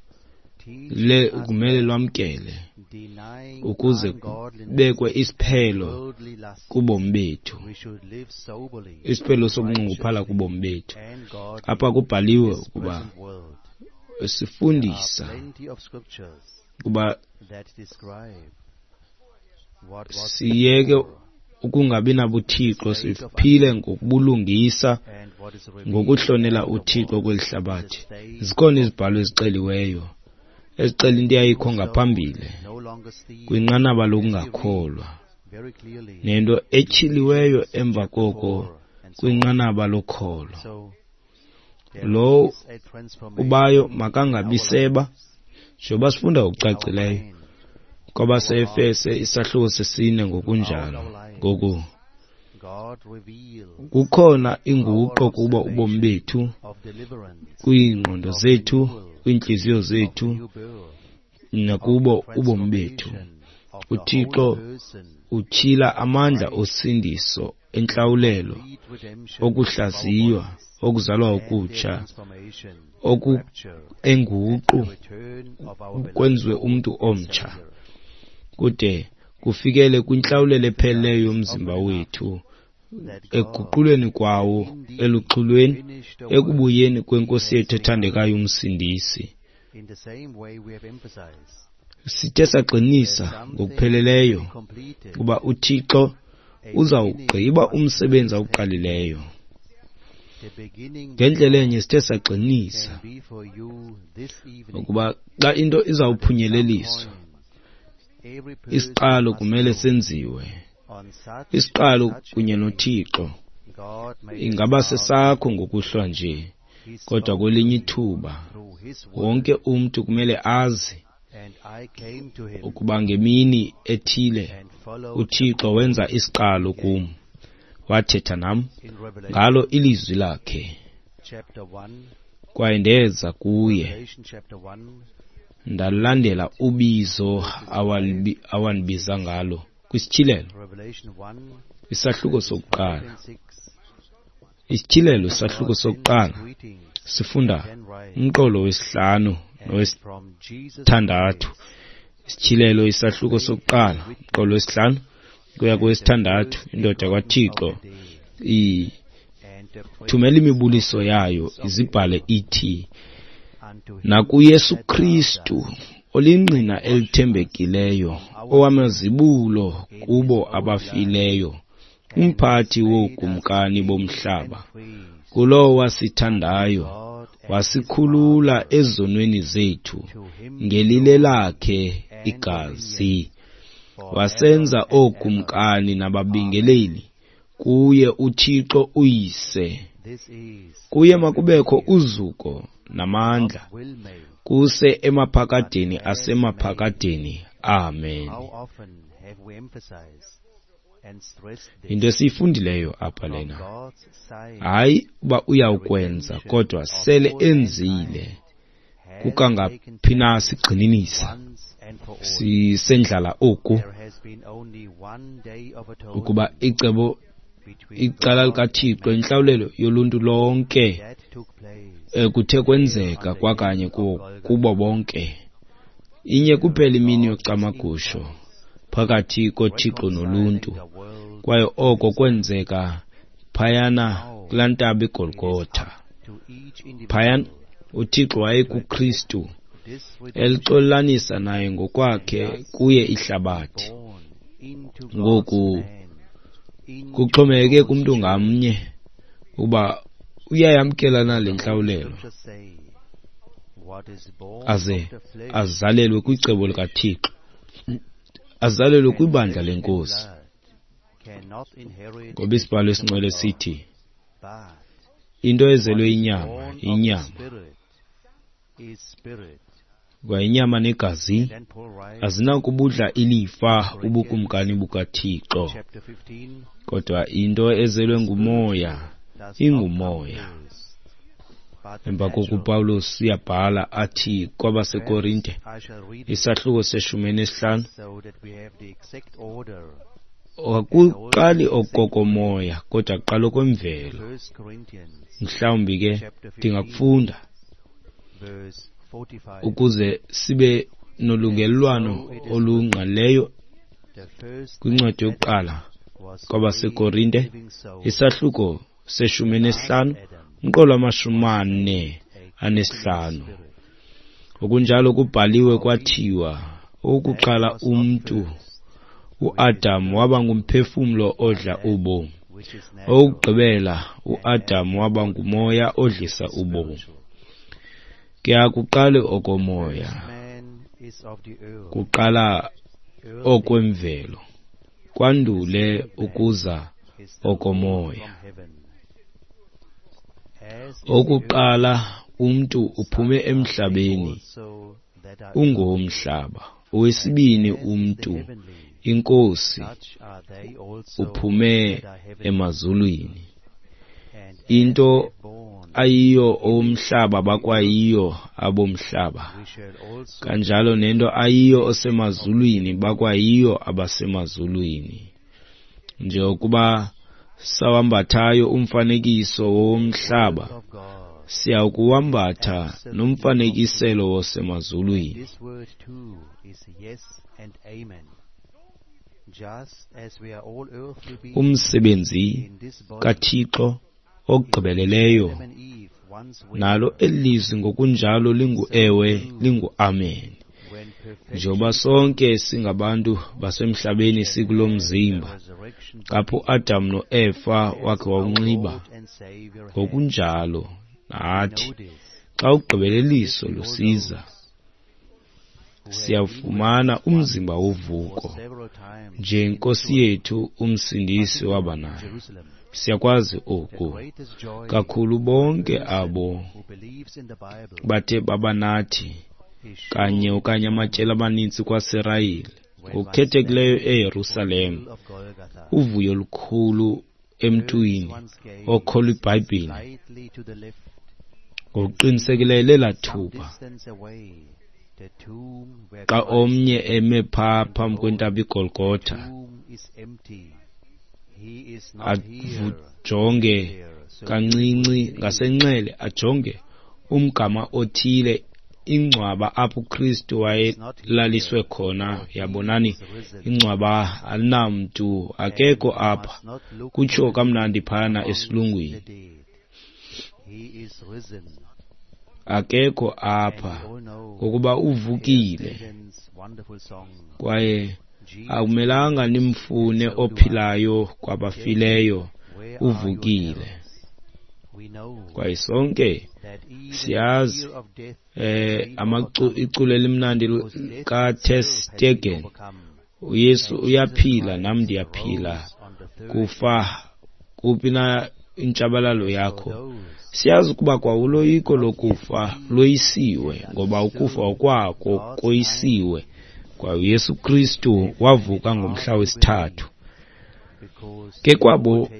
Teach le us kumele that lwamkele denying ukuze ungodliness kubekwe isiphelo worldly lust, kubomi bethu, we should live soberly, isiphelo sokunxunguphala righteously, kubomi bethu. and godly Apha kubhaliwe in this ukuba present world. There are sifundisa plenty of scriptures ukuba that describe what was siyeke before ukungabi nabuthixo, siphile ngokubulungisa, and what is revealed ngokuhlonela afterward. uThixo kweli The hlabathi. state Zikhona of izibhalo ezixeliweyo ezixela into eyayikho who ngaphambili no longer steal, kwinqanaba as we read lokungakholwa, very clearly nento etyhiliweyo emva koko four and so on. kwinqanaba lokholo. So there Lo is a transformation ubayo in our makangabi seba, lives, njengoba sifunda in our ngokucacileyo mind, kwabaseEfese isahluko sesine ngokunjalo. throughout our lives. Ngoku God reveals kukhona power inguqo of kubo ubomi salvation, bethu, of deliverance, kwiingqondo of zethu, renewal, kwiintliziyo of zethu, new birth, of nakubo ubomi bethu. transformation of the whole uThixo person, utyhila amandla Christ, osindiso, entlawulelo, complete redemption of our okuhlaziywa, bodies, okuzalwa and their okutsha, transformation, oku rapture, enguqu and the return of our beloved kwenziwe Lord umntu and omtsha, Savior. kude kufikele kwintlawulelo epheleleyo Emphasize yomzimba often enough wethu, that God ekuguqulweni kwawo indeed eluxhulweni, finished the work ekubuyeni he kweNkosi has yethu begun. ethandekayo uMsindisi. In the same way we have emphasized Sithe that sagqinisa something to be ngokupheleleyo completed, ukuba uThixo a beginning uzawugqiba must umsebenzi first happen. awuqalileyo. The beginning with Ngendlela God enye sithe sagqinisa can be for you this evening, ukuba xa into but at some izawuphunyeleliswa, point every person isiqalo must kumele know senziwe. on such and Isiqalo such a kunye day noThixo God made a ingaba start with sesakho me. ngokuhlwa nje, He kodwa spoke to kwelinye me ithuba through his wonke word, umntu kumele azi and I came to him ukuba ngemini ethile and followed the uThixo call wenza isiqalo he gave. kum, wathetha nam In ngalo Revelation ilizwi lakhe, chapter one, kwaye ndeza kuye Revelation chapter one, ndalandela ubizo verses five awalibi- and awandibiza six. ngalo kwisityhilelo Revelation one, isahluko verses five sokuqala. and six. Isityhilelo isahluko God sends his sokuqala greetings sifunda and then writes, umqolo wesihlanu and from Jesus nowesithandathu. Christ, Isityhilelo isahluko faithful sokuqala umqolo witness wesihlanu kuya and the kowesithandathu. first Indoda begotten of kwaThixo the dead, and the ithumela prince of imibuliso the yayo kings of the izibhale earth, ithi, unto him nakuYesu that loved Kristu us olingqina and washed us elithembekileyo, from our sins owamazibulo in his kubo own blood, abafileyo, and has umphathi made us wookumkani kings and bomhlaba, priests kulowo unto wasithandayo, God and his wasikhulula Father. ezonweni zethu To him be ngelile glory lakhe and igazi, dominion forever wasenza and ever. ookumkani Amen. nababingeleli kuye uThixo uYise. This is Kuye what makubekho we uzuko God namandla will make kuse emaphakadeni asemaphakadeni. Amen. Into esiyifundileyo apha lena, hayi uba uyawukwenza, kodwa sele enzile. Kukangaphi na sigxininisa sisendlala oku, ukuba icebo icala likaThixo intlawulelo yoluntu lonke kuthe kwenzeka kwakanye kubo bonke. Inye kuphela imini yocamagusho phakathi koThixo noluntu, kwaye oko kwenzeka phayana kulaa ntaba iGolgotha. Phayana uThixo wayekuKristu elixolelanisa naye ngokwakhe kuye ihlabathi. Ngoku kuxhomekeke kumntu ngamnye uba uyayamkela na le ntlawulelo, aze azalelwe kwicebo likaThixo, azalelwe kwibandla leNkosi. Ngoba isibhalo esingcwele sithi into ezelwe inyama inyama, kwa inyama negazi azinakubudla ilifa ubukumkani bukaThixo, kodwa into ezelwe ngumoya ingumoya. Emva koko uPawulos uyabhala athi kwabaseKorinte isahluko seshumi nesihlanu, akuqali okokomoya kodwa kuqala okwemvelo. Mhlawumbi ke ndingakufunda ukuze sibe nolungelelwano olungqalileyo kwincwadi yokuqala kwabaseKorinte isahluko seshumi nesihlanu umqolo wamashumi ane anesihlanu. Okunjalo kubhaliwe kwathiwa, owokuqala umntu uAdam waba ngumphefumlo odla ubomi, owokugqibela uAdam waba ngumoya odlisa ubomi. Ke akuqali okomoya, kuqala okwemvelo, kwandule ukuza okomoya. Okokuqala umntu uphume emhlabeni, ungowomhlaba. Owesibini umntu, iNkosi, uphume emazulwini. Into ayiyo owomhlaba bakwayiyo abomhlaba, kanjalo nento ayiyo osemazulwini bakwayiyo abasemazulwini. Njengokuba sawambathayo umfanekiso womhlaba, siyakuwambatha nomfanekiselo wosemazulwini. Umsebenzi kaThixo ogqibeleleyo, nalo eli lizwi ngokunjalo lingu-ewe lingu-amen. Njengoba sonke singabantu basemhlabeni sikulo mzimba, apho uAdam noEfa wakhe wawunxiba, ngokunjalo nathi xa ugqibeleliso lusiza siyawufumana umzimba wovuko njenkosi yethu uMsindisi waba nayo. Siyakwazi oku kakhulu bonke abo bathe baba nathi kanye okanye amatyeli amaninzi kwaSirayeli, ngokukhethekileyo eYerusalem. Uvuyo olukhulu emntwini okholwa iBhayibhile ngokuqinisekileyo lelaa thuba xa omnye eme phaa phambi kwentaba iGolgotha, ajonge kancinci ngasenxele, ajonge umgama othile, ingcwaba apho uKristu wayelaliswe khona. Yabonani, ingcwaba alinamntu, akekho apha, kutsho kamnandi phana esilungwini, akekho apha ngokuba uvukile. Kwaye akumelanga nimfune ophilayo kwabafileyo, uvukile. Kwaye sonke siyazi eh iculo elimnandi kaTer Stegen, uYesu uyaphila nam ndiyaphila, kufa kuphi na intshabalalo yakho. Siyazi ukuba kwa uloyiko lokufa loyisiwe, ngoba ukufa kwako koyisiwe. Kwa uYesu Kristu wavuka ngomhla wesithathu. Ke kwabo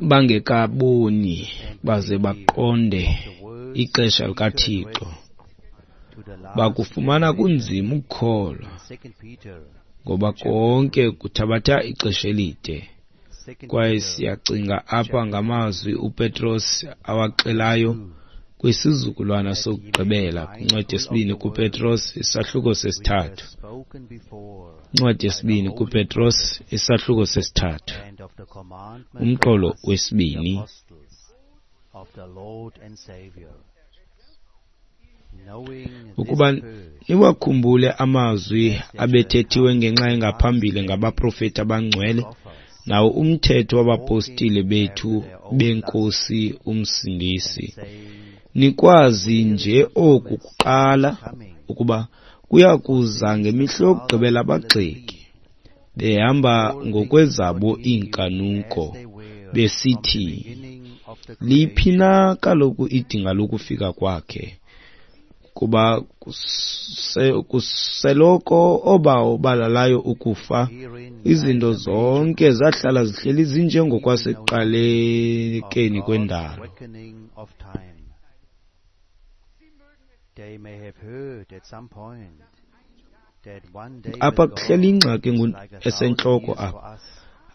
bangekaboni baze baqonde ixesha likaThixo, bakufumana kunzima ukukholwa, ngoba konke kuthabatha ixesha elide. Kwaye siyacinga apha ngamazwi uPetros awaxelayo kwisizukulwana sokugqibela, kwincwadi yesibini kuPetros isahluko sesithathu. Incwadi yesibini kuPetros isahluko sesithathu, umqolo wesibini. Ukuba niwakhumbule amazwi abethethiwe ngenxa engaphambili ngabaprofeti abangcwele, nawo umthetho wabapostile bethu beNkosi uMsindisi. Nikwazi nje oku kuqala, ukuba kuya kuza ngemihla yokugqibela abagxeki, behamba ngokwezabo iinkanuko, besithi, liphi na kaloku idinga lokufika kwakhe? Kuba kuseloko obawo balalayo ukufa, izinto zonke zahlala zihleli zinjengokwasekuqalekeni kwendalo. Apha kuhleli ingxaki esentloko apha.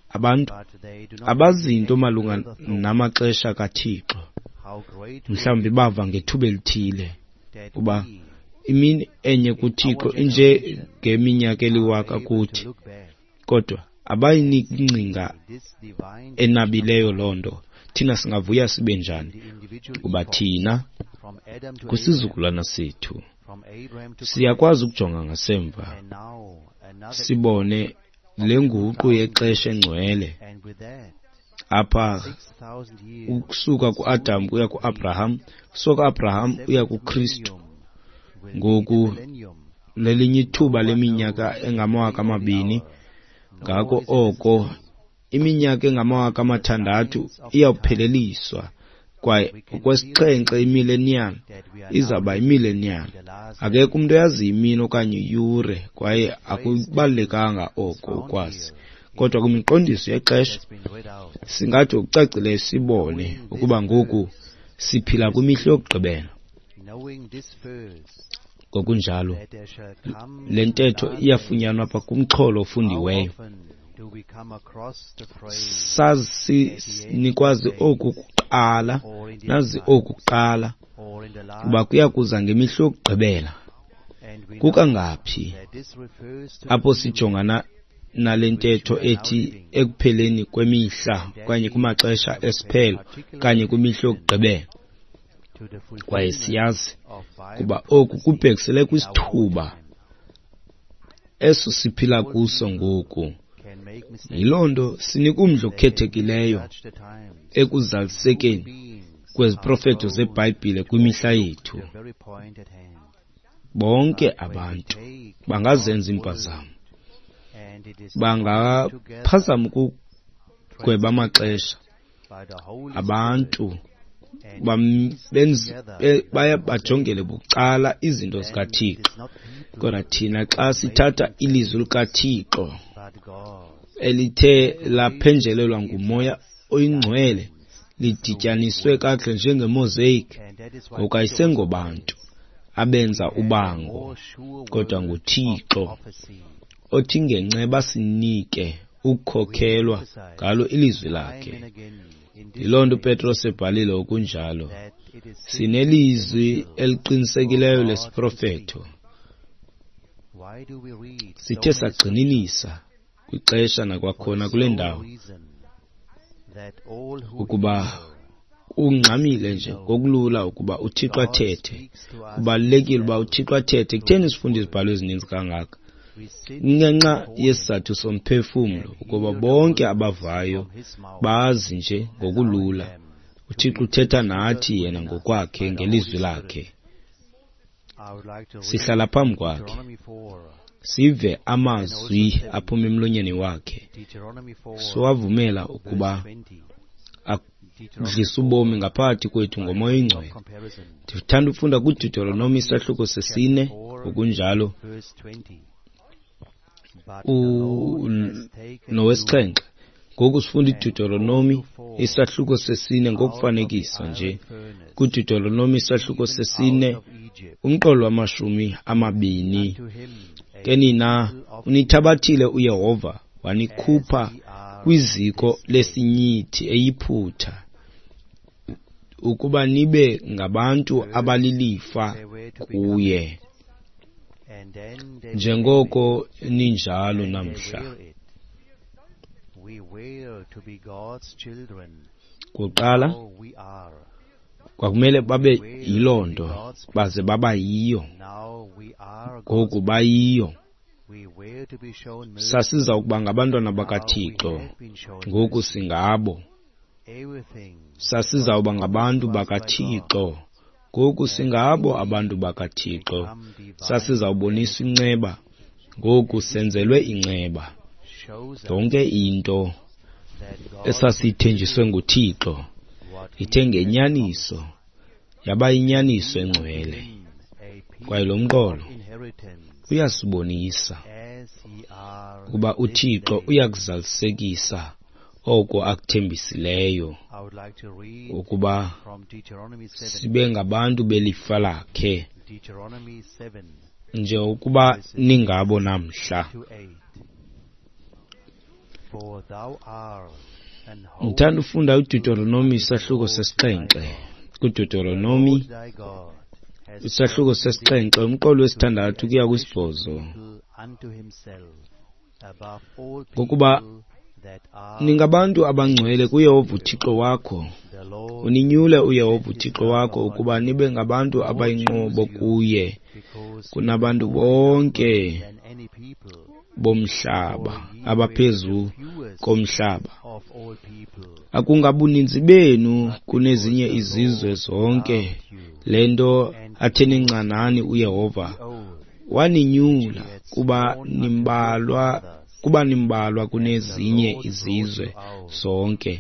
Abantu abazinto malunga namaxesha kaThixo. Mhlawumbi bava ngethuba elithile kuba imini enye kuThixo inje ngeminyaka eliwaka kuthi, kodwa abayiniki ingcinga enabileyo loo nto. Thina singavuya sibe njani kuba thina kwisizukulwana sethu siyakwazi ukujonga ngasemva sibone le nguqu yexesha engcwele apha, ukusuka kuAdam kuya kuAbraham, kusuka kuAbraham uya kuKristu. Ngoku lelinye ithuba leminyaka engamawaka amabini. Ngako oko iminyaka engamawaka amathandathu iyawupheleliswa, kwaye okwesixhenxe imillennium izawuba imillennium. Akekho umntu oyaziyo imini okanye iyure, kwaye akubalulekanga oko ukwazi. Kodwa kwimiqondiso yexesha singathi ngokucacileyo sibone ukuba ngoku siphila kwimihla yokugqibela. Ngokunjalo le ntetho iyafunyanwa apha kumxholo ofundiweyo. Sazi nikwazi oku kuqala, nazi oku kuqala, kuba kuya kuza ngemihla yokugqibela. Kukangaphi apho sijongana nale ntetho ethi ekupheleni kwemihla okanye kumaxesha esiphelo okanye kwimihla yokugqibela? Kwaye siyazi kuba oku kubhekisele kwisithuba eso siphila kuso ngoku. Yiloo nto sinika umdla okhethekileyo ekuzalisekeni kweziprofeto zeBhayibhile kwimihla yethu. Bonke abantu bangazenza iimpazamo, bangaphazama ukugweba amaxesha. Abantu baya bajongele bucala izinto zikaThixo, kodwa thina xa sithatha ilizwi likaThixo elithe laphenjelelwa nguMoya oyiNgcwele, lidityaniswe kakuhle njengemosaic, ngoku ayisengobantu abenza ubango, kodwa nguThixo othi ngenceba sinike ukukhokhelwa ngalo ilizwi lakhe. Yiloo nto uPetros ebhalile okunjalo. Sinelizwi eliqinisekileyo lesiprofeto. Sithe sagxininisa kwixesha nakwakhona kule ndawo ukuba ungxamile nje ngokulula ukuba uThixo athethe. Kubalulekile uba uThixo athethe. Kutheni sifunde izibhalo ezininzi kangaka? Ngenxa yesizathu somphefumlo, ukuba bonke abavayo bazi nje ngokulula uThixo uthetha nathi yena ngokwakhe ngelizwi lakhe. Sihlala phambi kwakhe, sive amazwi aphuma emlonyeni wakhe, siwavumela ukuba Udlisa ubomi ngaphakathi kwethu ngoMoya oyiNgcwele. Ndithanda ufunda kuDeuteronomi isahluko sesine ngokunjalo nowesixhenxe. Ngoku sifunda iDeuteronomi isahluko sesine ngokufanekisa nje. KuDeuteronomi isahluko sesine umqolo wamashumi amabini. Ke nina unithabathile uYehova wanikhupha kwiziko lesinyithi eYiphutha ukuba nibe ngabantu abalilifa kuye, njengoko ninjalo namhla. Kuqala kwakumele babe yiloo nto, baze baba yiyo. Ngoku bayiyo. Sasiza ukuba ngabantwana bakaThixo, ngoku singabo. Sasizawuba ngabantu bakaThixo, ngoku singabo abantu bakaThixo. Sasizawuboniswa inceba, ngoku senzelwe inceba. Yonke into esasithenjiswe nguThixo ithe ngenyaniso yaba yinyaniso engcwele. Kwaye lo mqolo uyasibonisa ukuba uThixo uyakuzalisekisa oko akuthembisileyo, ukuba sibe ngabantu belifa lakhe nje ukuba ningabo namhla. Ngithanda ufunda uDeuteronomi isahluko sesixhenxe. KuDeuteronomi isahluko sesixhenxe umqolo wesithandathu kuya kwisibhozo. Ngokuba ningabantu abangcwele kuYehova uThixo wakho, uninyule uYehova uThixo wakho ukuba nibe ngabantu abayinqobo kuye kunabantu bonke bomhlaba abaphezu komhlaba. Akungabuninzi benu kunezinye izizwe zonke, le nto athe nincanani uYehova waninyula kuba nimbalwa kuba nimbalwa kunezinye izizwe zonke.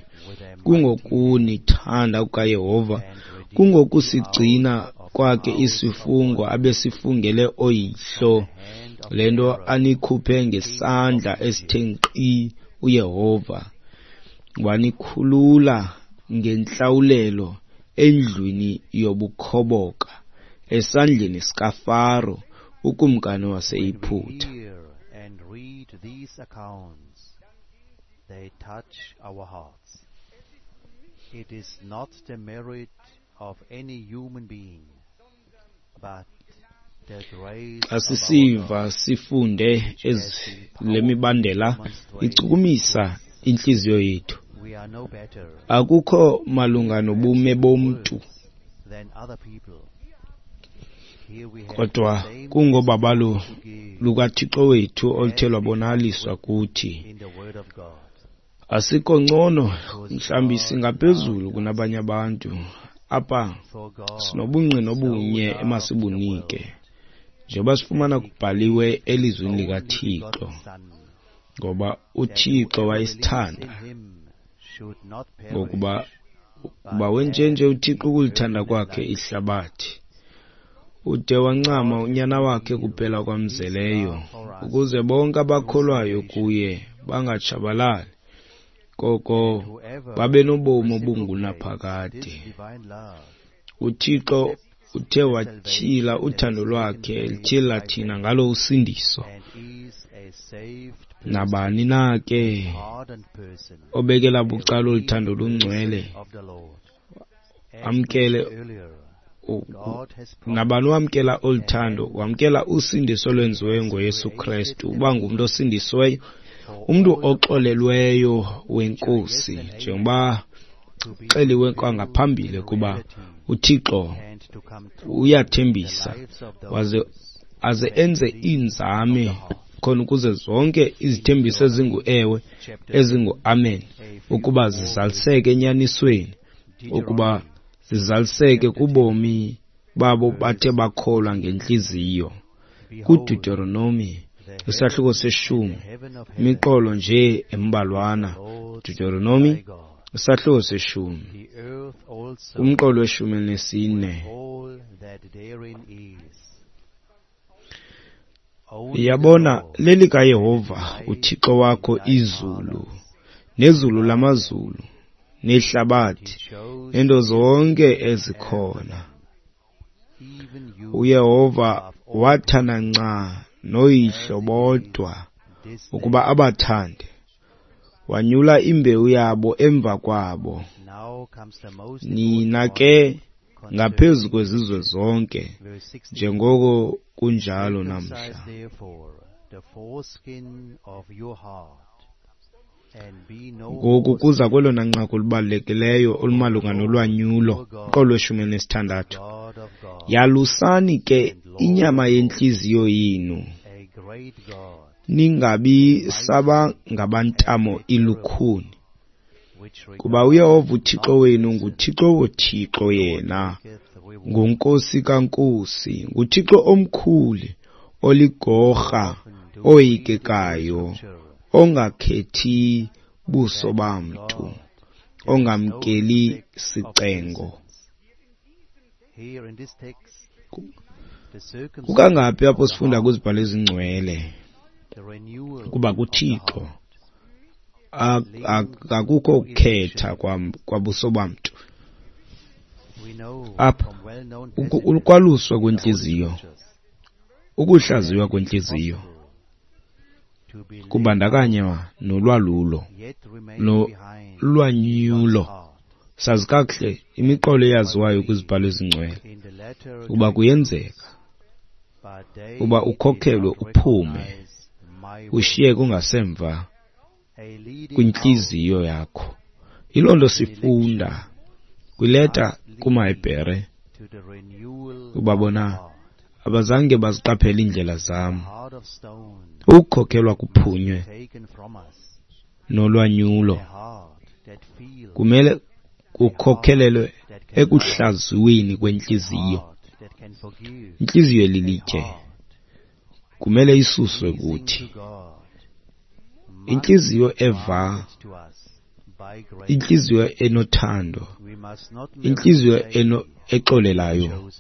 Kungokunithanda kukaYehova, kungokusigcina kwakhe isifungo abesifungele ooyihlo, le nto anikhuphe ngesandla esithe nkqi uYehova, wanikhulula ngentlawulelo endlwini yobukhoboka, esandleni sikaFaro ukumkani waseYiphutha. These accounts, they touch our hearts. It is not the merit of any human being, but the grace Xa sisiva sifunde ezi le mibandela ichukumisa intliziyo yethu. We are no better Akukho malunga nobume bomntu, than other people. Here we have kodwa the same kungobabalo to give lukaThixo wethu oluthe lwabonakaliswa kuthi. in the Word of God. Asikho ngcono, mhlawumbi singaphezulu kunabanye abantu. Apha For God sinobungqina obunye emasibunike, njengoba sifumana kubhaliwe elizwini likaThixo, ngoba uThixo wayesithanda, in him should not perish, ngokuba kuba wenjenje uThixo ukulithanda kwakhe ihlabathi, ude wancama unyana wakhe kuphela kwamzeleyo, ukuze bonke abakholwayo kuye bangatshabalali, koko whoever babe nobomi reciprocates obungunaphakade. this divine love uThixo uthe watyhila uthando lwakhe, elityhila thina ngalo usindiso. and is a saved person, Nabani na ke pardoned person, obekela bucala olu thando lungcwele, of the Lord. As amkele mentioned earlier, u- God has promised nabani wamkela olu thando, wamkela usindiso olwenziweyo ngoYesu Kristu, uba ngumntu osindisiweyo, umntu oxolelweyo wenkosi, njengoba to be xeliwe kwangaphambili kuba uThixo and to come true uyathembisa the lives of those waze aze enze iinzame khona ukuze zonke izithembiso ezingu-ewe chapter ezingu-amen ukuba zizaliseke enyanisweni, ukuba zizaliseke kubomi babo bathe bakholwa ngentliziyo. KuDeuteronomi isahluko seshumi, heaven of imiqolo nje embalwana. Lord Deuteronomi thy God. Isahluko seshumi, umqolo weshumi elinesine. Yabona, lelikaYehova uThixo wakho izulu, nezulu lamazulu, nehlabathi, nento zonke ezikhona. UYehova wathanda nca noyihlo bodwa ukuba abathande, wanyula imbewu yabo emva kwabo. Nina ke ngaphezu kwezizwe zonke, njengoko kunjalo namhla. Ngoku kuza kwelona nqaku lubalulekileyo olumalunga nolwanyulo, umqolo weshumi elinesithandathu. Yalusani ke inyama yentliziyo yenu, ningabi saba ngabantamo ilukhuni, kuba uYehova uThixo wenu nguThixo wothixo yena, nguNkosi kaNkosi, nguThixo omkhulu, oligorha, oyikekayo, ongakhethi buso bamntu, ongamkeli sicengo. Kukangaphi apho sifunda kwizibhalo ezingcwele kuba kuThixo akukho kukhetha kwabuso bamntu. Apha ukwaluswa kwentliziyo, ukuhlaziywa kwentliziyo kubandakanywa nolwalulo nolwanyulo. Sazi kakuhle imiqolo eyaziwayo kwizibhalo ezingcwele ukuba kuyenzeka uba ukhokhelwe uphume ushiyeke ungasemva kwintliziyo yakho. Yiloo nto sifunda kwileta kumaHebhere uba bona abazange baziqaphele iindlela zam. Ukukhokhelwa kuphunywe nolwanyulo kumele kukhokhelelwe ekuhlaziweni kwentliziyo. Intliziyo elilitye kumele isuswe kuthi. Intliziyo eva, intliziyo enothando, intliziyo exolelayo,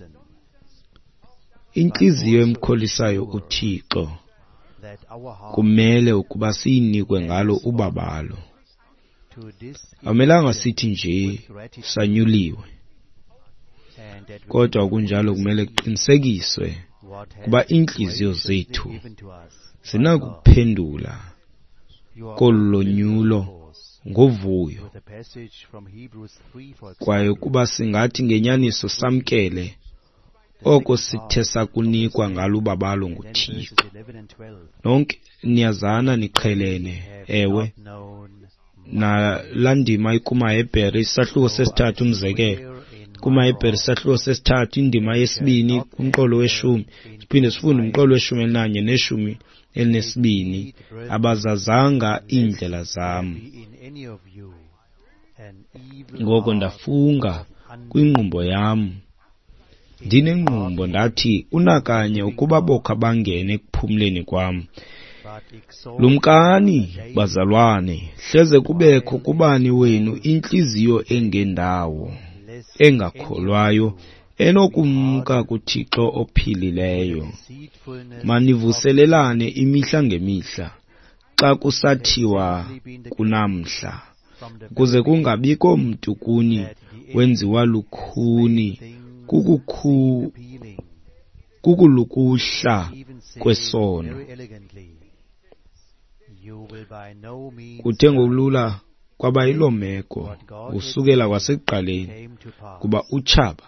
intliziyo emkholisayo uThixo kumele ukuba siyinikwe ngalo ubabalo. Akumelanga sithi nje sanyuliwe, kodwa kunjalo kumele kuqinisekiswe kuba iintliziyo zethu zinakuphendula kolu lonyulo ngovuyo, kwaye ukuba singathi ngenyaniso samkele oko sithe sakunikwa ngalo ubabalo nguThixo. Nonke niyazana, niqhelene, ewe. Nalaa ndima ikumaHebhere isahluko sesithathu, umzekelo kumaHebhere isahluko sesithathu indima yesibini kumqolo weshumi, siphinde sifunde umqolo weshumi elinanye neshumi elinesibini. Abazazanga iindlela zam, ngoko ndafunga kwingqumbo yam, ndinengqumbo ndathi, unakanye ukuba bokha bangene ekuphumleni kwam. Lumkani, bazalwane, hleze kubekho kubani wenu intliziyo engendawo, engakholwayo, enokumka kuThixo ophilileyo. Manivuselelane imihla ngemihla, xa kusathiwa kunamhla, ukuze kungabikho mntu kuni wenziwa lukhuni kukukhu kukulukuhla kwesono. Kuthe ngokulula kwaba yiloo meko kusukela kwasekuqaleni, kuba utshaba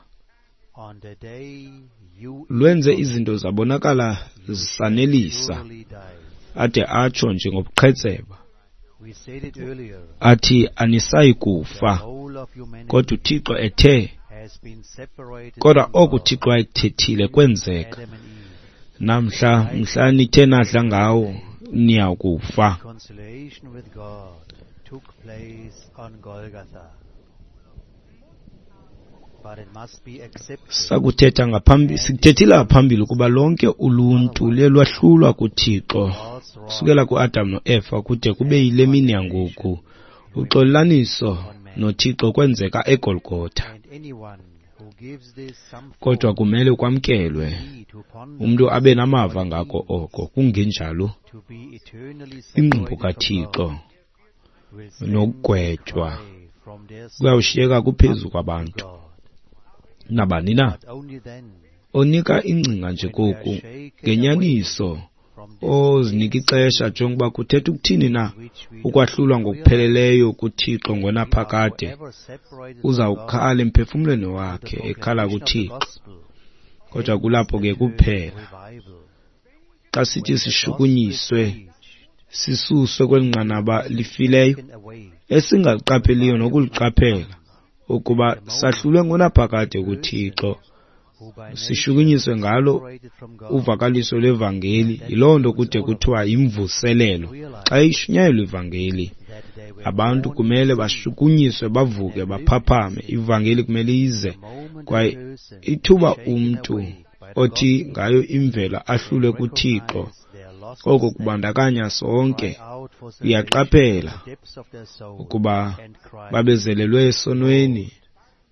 lwenze izinto zabonakala zisanelisa, ade atsho nje ngobuqhetseba athi anisayi kufa, kodwa uThixo ethe, kodwa oku uThixo wayekuthethile kwenzeka. Namhla mhla nithe nadla ngawo niyakufa. Sakuthetha ngaphambili, sikuthethile ngaphambili ukuba lonke uluntu luye lwahlulwa kuThixo kusukela kuAdam noEfa kude kube yile mini yangoku. Uxolelaniso noThixo kwenzeka eGolgotha. Kodwa kumele kwamkelwe, umntu abe namava ngako oko, kungenjalo ingqumbo kaThixo nokugwetywa kuyawushiyeka kuphezu kwabantu. Nabani na onika ingcinga nje koku ngenyaniso ozinika ixesha njengoba kuthetha ukuthini na ukwahlulwa ngokupheleleyo kuThixo ngonaphakade, uzawukhala emphefumlweni wakhe ekhala kuThixo. Kodwa kulapho ke kuphela xa sithi sishukunyiswe sisuswe kweli nqanaba lifileyo esingaliqapheliyo nokuliqaphela ukuba sahlulwe ngonaphakade kuThixo, sishukunyiswe ngalo uvakaliso lwevangeli. Yiloo nto kude kuthiwa yimvuselelo. Xa ishunyayelwa ivangeli, abantu kumele bashukunyiswe, bavuke, baphaphame. Ivangeli kumele ize, kwaye ithuba umntu othi ngayo imvelo ahlulwe kuThixo, oko kubandakanya sonke. Uyaqaphela ukuba babezelelwe esonweni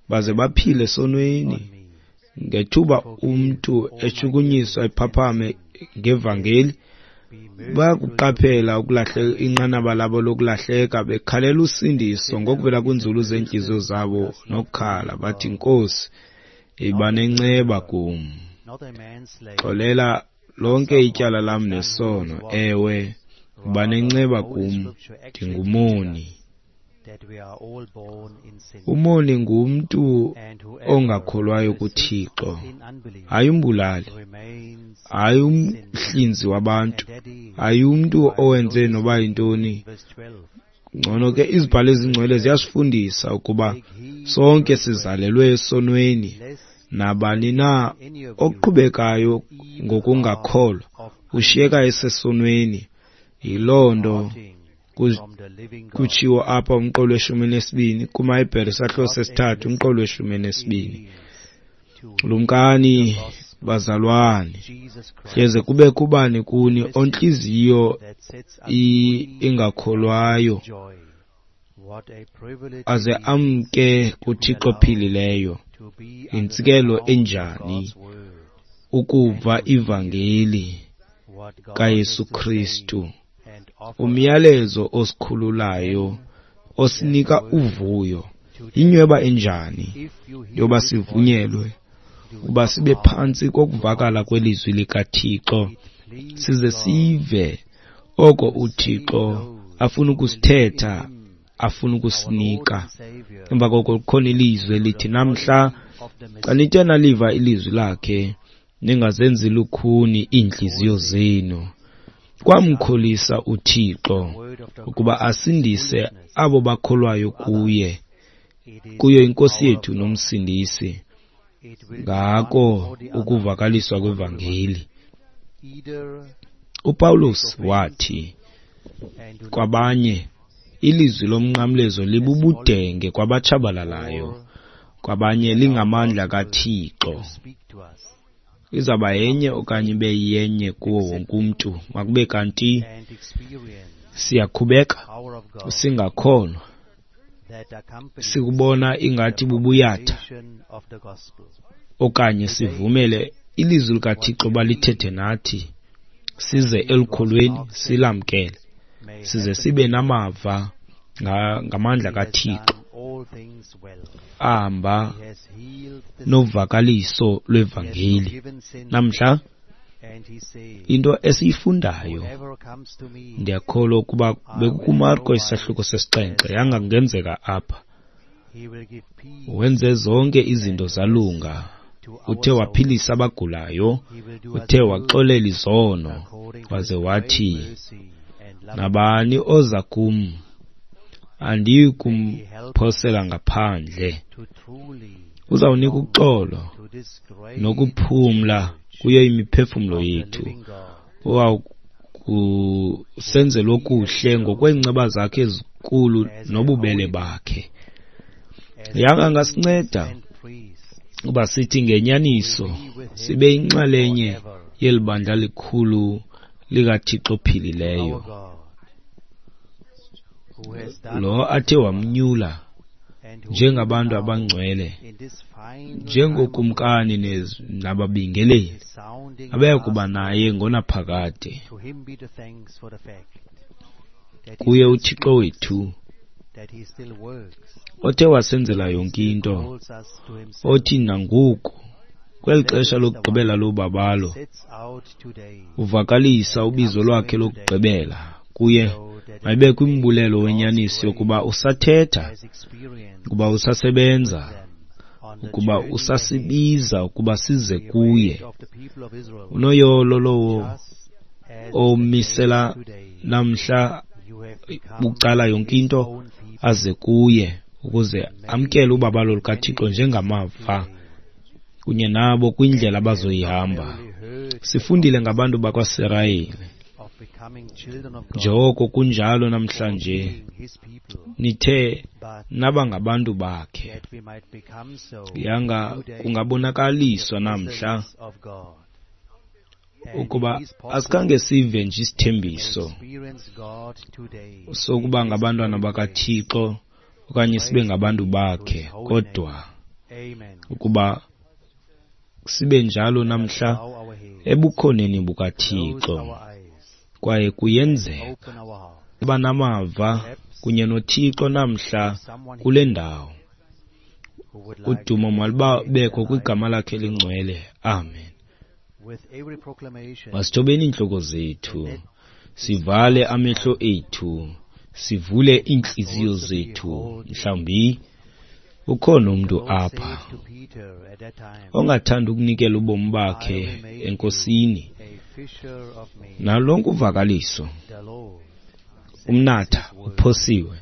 baze baphile esonweni. Ngethuba umntu eshukunyiswa ephaphame ngevangeli, bayakuqaphela ukulahleka inqanaba labo lokulahleka, bekhalela usindiso ngokuvela kwinzulu zeentliziyo zabo nokukhala bathi, Nkosi, yiba nenceba kum, xolela lonke ityala lam nesono. Ewe, yiba nenceba kum, ndingumoni. Umoni ngumntu ongakholwayo kuThixo, hayi umbulali, hayi umhlinzi wabantu, hayi umntu owenze noba yintoni. Ngcono ke izibhalo ezingcwele ziyasifundisa ukuba sonke sizalelwe esonweni. Nabani na oqhubekayo ngokungakholwa ushiyeka esesonweni. Yiloo nto kutshiwo apha umqolo weshumi nesibini kumaHebhere isahluko sesithathu umqolo weshumi nesibini. Lumkani bazalwane, hleze kube kubani kuni ontliziyo ingakholwayo aze amke kuThixo ophilileyo. Yintsikelo enjani ukuva ivangeli kaYesu Kristu, umyalezo osikhululayo osinika uvuyo. Yinyweba enjani yoba sivunyelwe uba sibe phantsi kokuvakala kwelizwi likaThixo, size sive oko uThixo afuna ukusithetha, afuna ukusinika. Emva koko kukhona ilizwi elithi, namhla xa nithe naliva ilizwi lakhe, ningazenzi lukhuni iintliziyo zenu. Kwamkholisa uThixo ukuba asindise abo bakholwayo kuye, kuyo iNkosi yethu noMsindisi, ngako ukuvakaliswa kwevangeli. UPawulos wathi kwabanye, ilizwi lomnqamlezo libubudenge kwabatshabalalayo, kwabanye lingamandla kaThixo. Izawuba yenye okanye ibe yenye kuwo wonke umntu. Makube kanti siyakhubeka singakholwa, sikubona ingathi bubuyatha, okanye sivumele ilizwi likaThixo balithethe nathi, size elukholweni silamkele, size sibe namava ngamandla kaThixo ahamba novakaliso lwevangeli. Namhla into esiyifundayo, ndiyakholwa ukuba bekukuMarko isahluko sesixhenxe, yangangenzeka apha. Wenze zonke izinto zalunga, uthe waphilisa abagulayo, uthe waxolela izono, waze wathi, nabani oza kum andiyi kumphosela ngaphandle. Uzawunika uxolo nokuphumla kuyo imiphefumlo yethu. Uwawukusenzela okuhle ngokweenceba zakhe ezinkulu nobubele bakhe. Yanga angasinceda uba sithi ngenyaniso sibe yinxalenye yeli bandla likhulu likaThixo ophilileyo, lo athe wamnyula njengabantu abangcwele, njengokumkani nababingeleli abaya kuba naye ngonaphakade. Kuye uThixo wethu, othe wasenzela yonke into, othi nangoku kweli xesha lokugqibela lobabalo uvakalisa ubizo lwakhe lokugqibela. Kuye mayibekho umbulelo wenyaniso yokuba usathetha, ukuba usasebenza, ukuba usasibiza ukuba size kuye. Unoyolo lowo omisela namhla bucala yonke into aze kuye ukuze amkele ubabalo lukaThixo njengamava kunye nabo kwindlela abazoyihamba. Sifundile ngabantu bakwaSirayeli, njengoko kunjalo namhlanje nithe naba ngabantu bakhe. Yanga kungabonakaliswa namhla ukuba asikhange sive nje isithembiso sokuba ngabantwana bakaThixo okanye sibe ngabantu bakhe, kodwa ukuba sibe njalo namhla ebukhoneni bukaThixo. Kwaye kuyenzeka uba namava kunye noThixo namhla kule ndawo. Udumo malubekho kwigama lakhe elingcwele. Amen. Masithobeni iintloko zethu, sivale amehlo ethu, sivule iintliziyo zethu. Mhlawumbi ukhona umntu apha ongathanda ukunikela ubomi bakhe eNkosini. Nalonke uvakaliso, umnatha uphosiwe.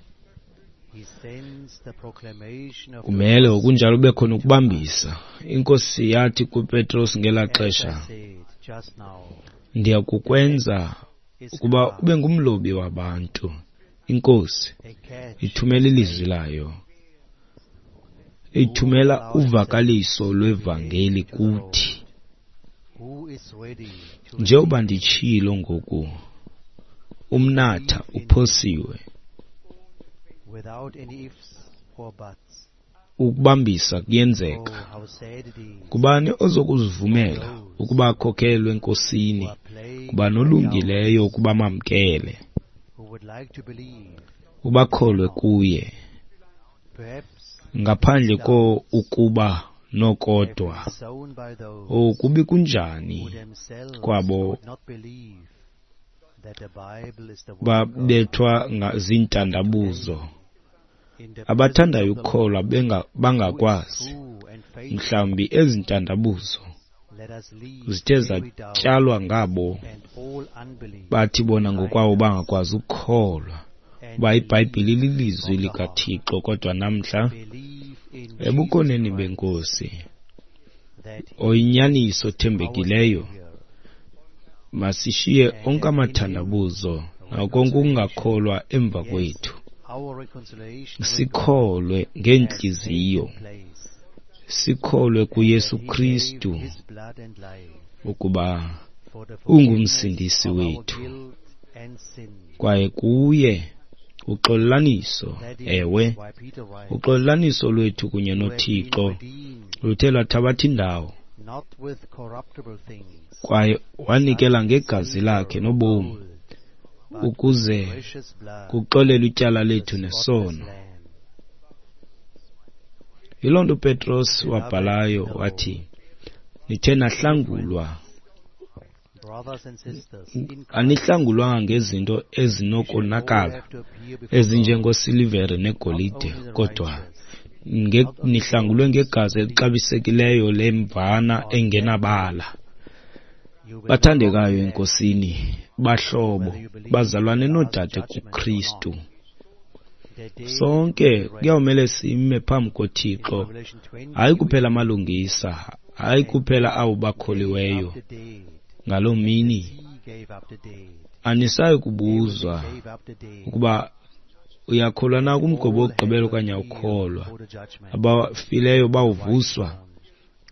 Kumele okunjalo ube khona ukubambisa. INkosi yathi kuPetros ngelaa xesha, ndiyakukwenza ukuba ube ngumlobi wabantu. INkosi ithumela ilizwi layo, ithumela uvakaliso lwevangeli kuthi. Njengoba nditshilo ngoku, umnatha uphosiwe. Ukubambisa kuyenzeka. Kubani ozokuzivumela ukuba akhokhelwe eNkosini? Kubani olungileyo ukuba mamkele, ubakholwe kuye, ngaphandle ko ukuba nokodwa? Okubi kunjani kwabo babethwa zintandabuzo, abathandayo ukukholwa bangakwazi. Mhlawumbi ezi ntandabuzo zithe zatyalwa ngabo bathi bona ngokwabo bangakwazi ukukholwa uba iBhayibhile ililizwi likaThixo. Kodwa namhla ebukhoneni beNkosi oyinyaniso othembekileyo, masishiye onke amathandabuzo nakonke ukungakholwa emva kwethu, sikholwe ngeentliziyo, sikholwe kuYesu Kristu ukuba ungumsindisi wethu, kwaye kuye uxolelaniso, ewe, uxolelaniso lwethu kunye noThixo luthe lwathabatha indawo, kwaye wanikela ngegazi lakhe nobomi ukuze kuxolelwe ityala lethu nesono. Yiloo nto uPetros wabhalayo wathi, nithe nahlangulwa, anihlangulwanga ngezinto ezinokonakala ezinjengosilivere negolide, kodwa nihlangulwe ngegazi elixabisekileyo lemvana engenabala. Bathandekayo eNkosini, bahlobo, bazalwane noodade kuKristu, sonke kuyawumele sime phambi koThixo, hayi kuphela amalungisa, hayi kuphela abo bakholiweyo. Ngaloo mini anisayi kubuzwa ukuba uyakholwa na kumgobo wokugqibela okanye awukholwa. Abafileyo bawuvuswa.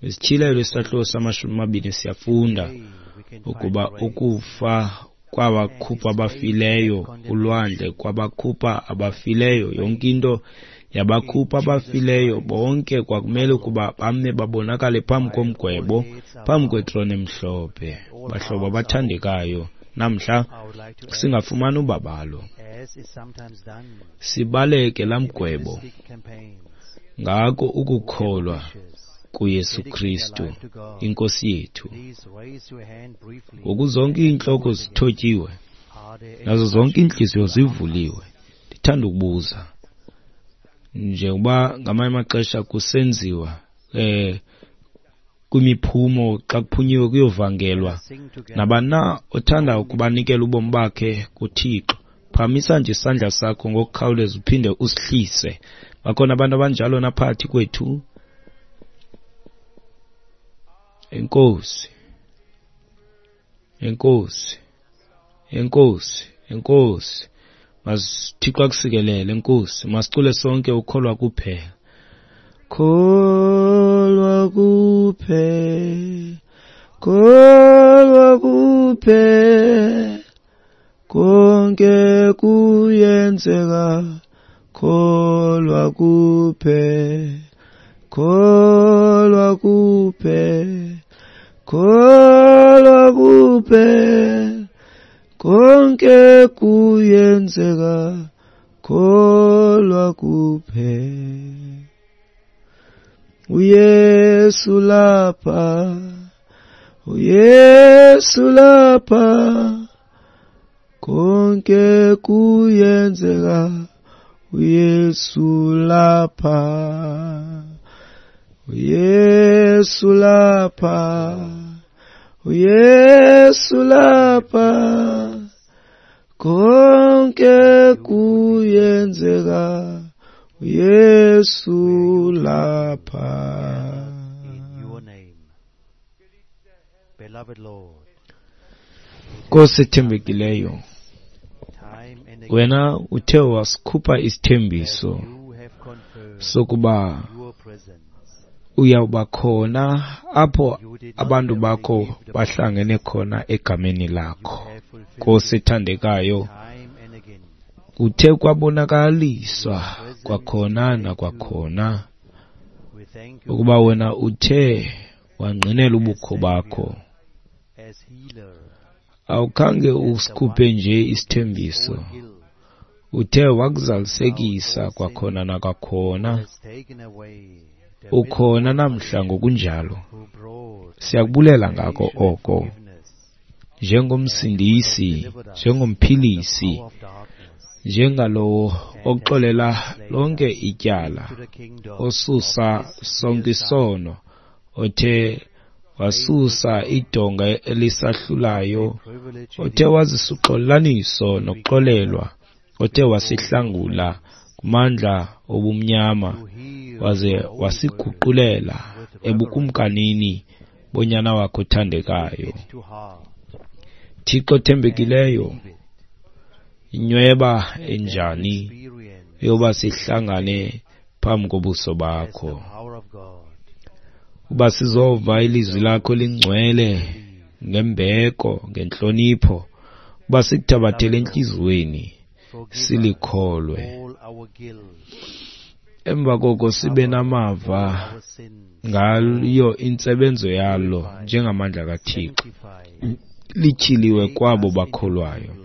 Isityhilelo isahluko samashumi amabini siyafunda ukuba ukufa kwabakhupha abafileyo, ulwandle kwabakhupha abafileyo, yonke into Yabakhupha abafileyo bonke, kwakumele ukuba bame babonakale phambi komgwebo, phambi kwetrone emhlophe. Bahlobo abathandekayo, namhla singafumana ubabalo, sibaleke laa mgwebo ngako ukukholwa kuYesu Kristu iNkosi yethu. Ngoku zonke iintloko zithotyiwe nazo zonke iintliziyo zivuliwe, ndithanda ukubuza, njengoba ngamanye amaxesha kusenziwa eh kwimiphumo xa kuphunyiwe kuyovangelwa, nabani na othanda ukubanikela ubomi bakhe kuThixo, phakamisa nje isandla sakho ngokukhawuleza uphinde usihlise. Bakhona abantu abanjalo naphakathi kwethu? Enkosi, enkosi, enkosi, enkosi. Masithixo akusikelele, enkosi. Masicule sonke ukholwa kuphela. Kholwa kuphela, kholwa kuphela, konke kuyenzeka, kholwa kuphela, kholwa kuphela, kholwa kuphela, konke kuyenzeka, kholwa kuphela. uYesu lapha, uYesu lapha, konke kuyenzeka, uYesu lapha, uYesu lapha, uYesu lapha, konke kuyenzeka, uYesu lapha. Nkosi ethembekileyo, wena uthe wasikhupha isithembiso sokuba uyawuba khona apho abantu bakho bahlangene khona egameni lakho. Nkosi ethandekayo, uthe kwabonakaliswa kwakhona nakwakhona ukuba wena uthe wangqinela ubukho bakho. Awukhange usikhuphe nje isithembiso, uthe wakuzalisekisa kwakhona nakwakhona. Ukhona namhla ngokunjalo. Siyakubulela ngako oko, njengomsindisi, njengomphilisi, njengalowo oxolela lonke ityala, osusa sonke isono, othe wasusa idonga elisahlulayo, othe wazisa uxolelaniso nokuxolelwa, othe wasihlangula kumandla obumnyama, waze wasiguqulela ebukumkanini bonyana wakho othandekayo. Thixo othembekileyo, inyweba enjani yoba sihlangane phambi kobuso bakho, uba sizova ilizwi lakho lingcwele ngembeko, ngentlonipho, uba sikuthabathele entliziyweni silikholwe. Emva koko sibe namava ngayo intsebenzo yalo njengamandla kaThixo lityhiliwe kwabo bakholwayo.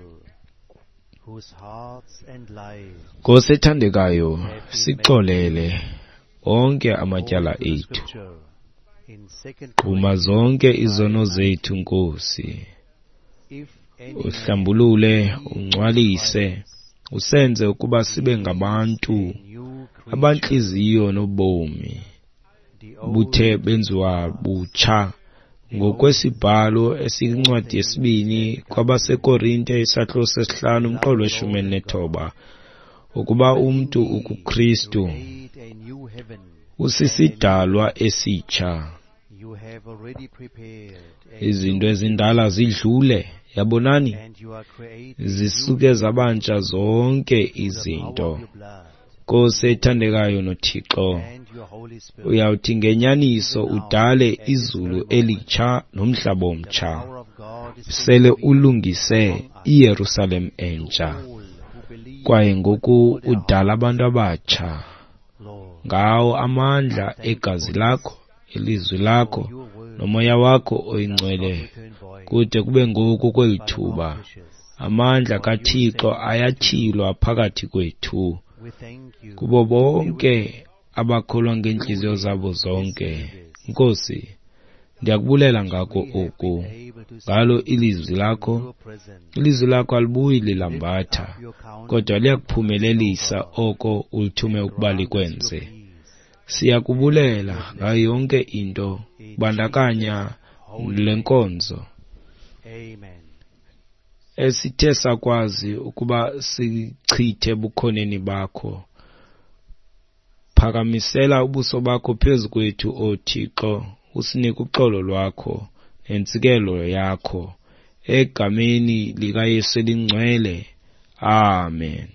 Nkosi ethandekayo, sixolele onke amatyala ethu, gquma zonke izono zethu, Nkosi. Uhlambulule, ungcwalise, usenze ukuba sibe ngabantu abantliziyo nobomi buthe benziwa butsha ngokwesibhalo esiyincwadi yesibini kwabaseKorinte isahluko sesihlanu umqolo weshumi elinethoba, ukuba umntu ukuKristu usisidalwa esitsha, izinto ezindala zidlule, yabonani, zisuke zabantsha zonke izinto. Nkosi ethandekayo noThixo, uyawuthi ngenyaniso udale izulu elitsha nomhlaba omtsha, sele ulungise iYerusalem entsha, kwaye ngoku udala abantu abatsha Ngawo amandla egazi lakho, ilizwi lakho, nomoya wakho oyingcwele, kude kube ngoku kweli thuba, amandla kaThixo ayatyhilwa phakathi kwethu kubo bonke abakholwa ngeentliziyo zabo zonke. Nkosi, ndiyakubulela ngako oku, ngalo ilizwi lakho. Ilizwi lakho alibuyi lilambatha, kodwa liyakuphumelelisa oko ulithume ukuba likwenze. Siyakubulela ngayo yonke into, kubandakanya le nkonzo esithe sakwazi ukuba sichithe ebukhoneni bakho. Phakamisela ubuso bakho phezu kwethu, O Thixo, usinike uxolo lwakho nentsikelo yakho. Egameni likaYesu elingcwele. Amen.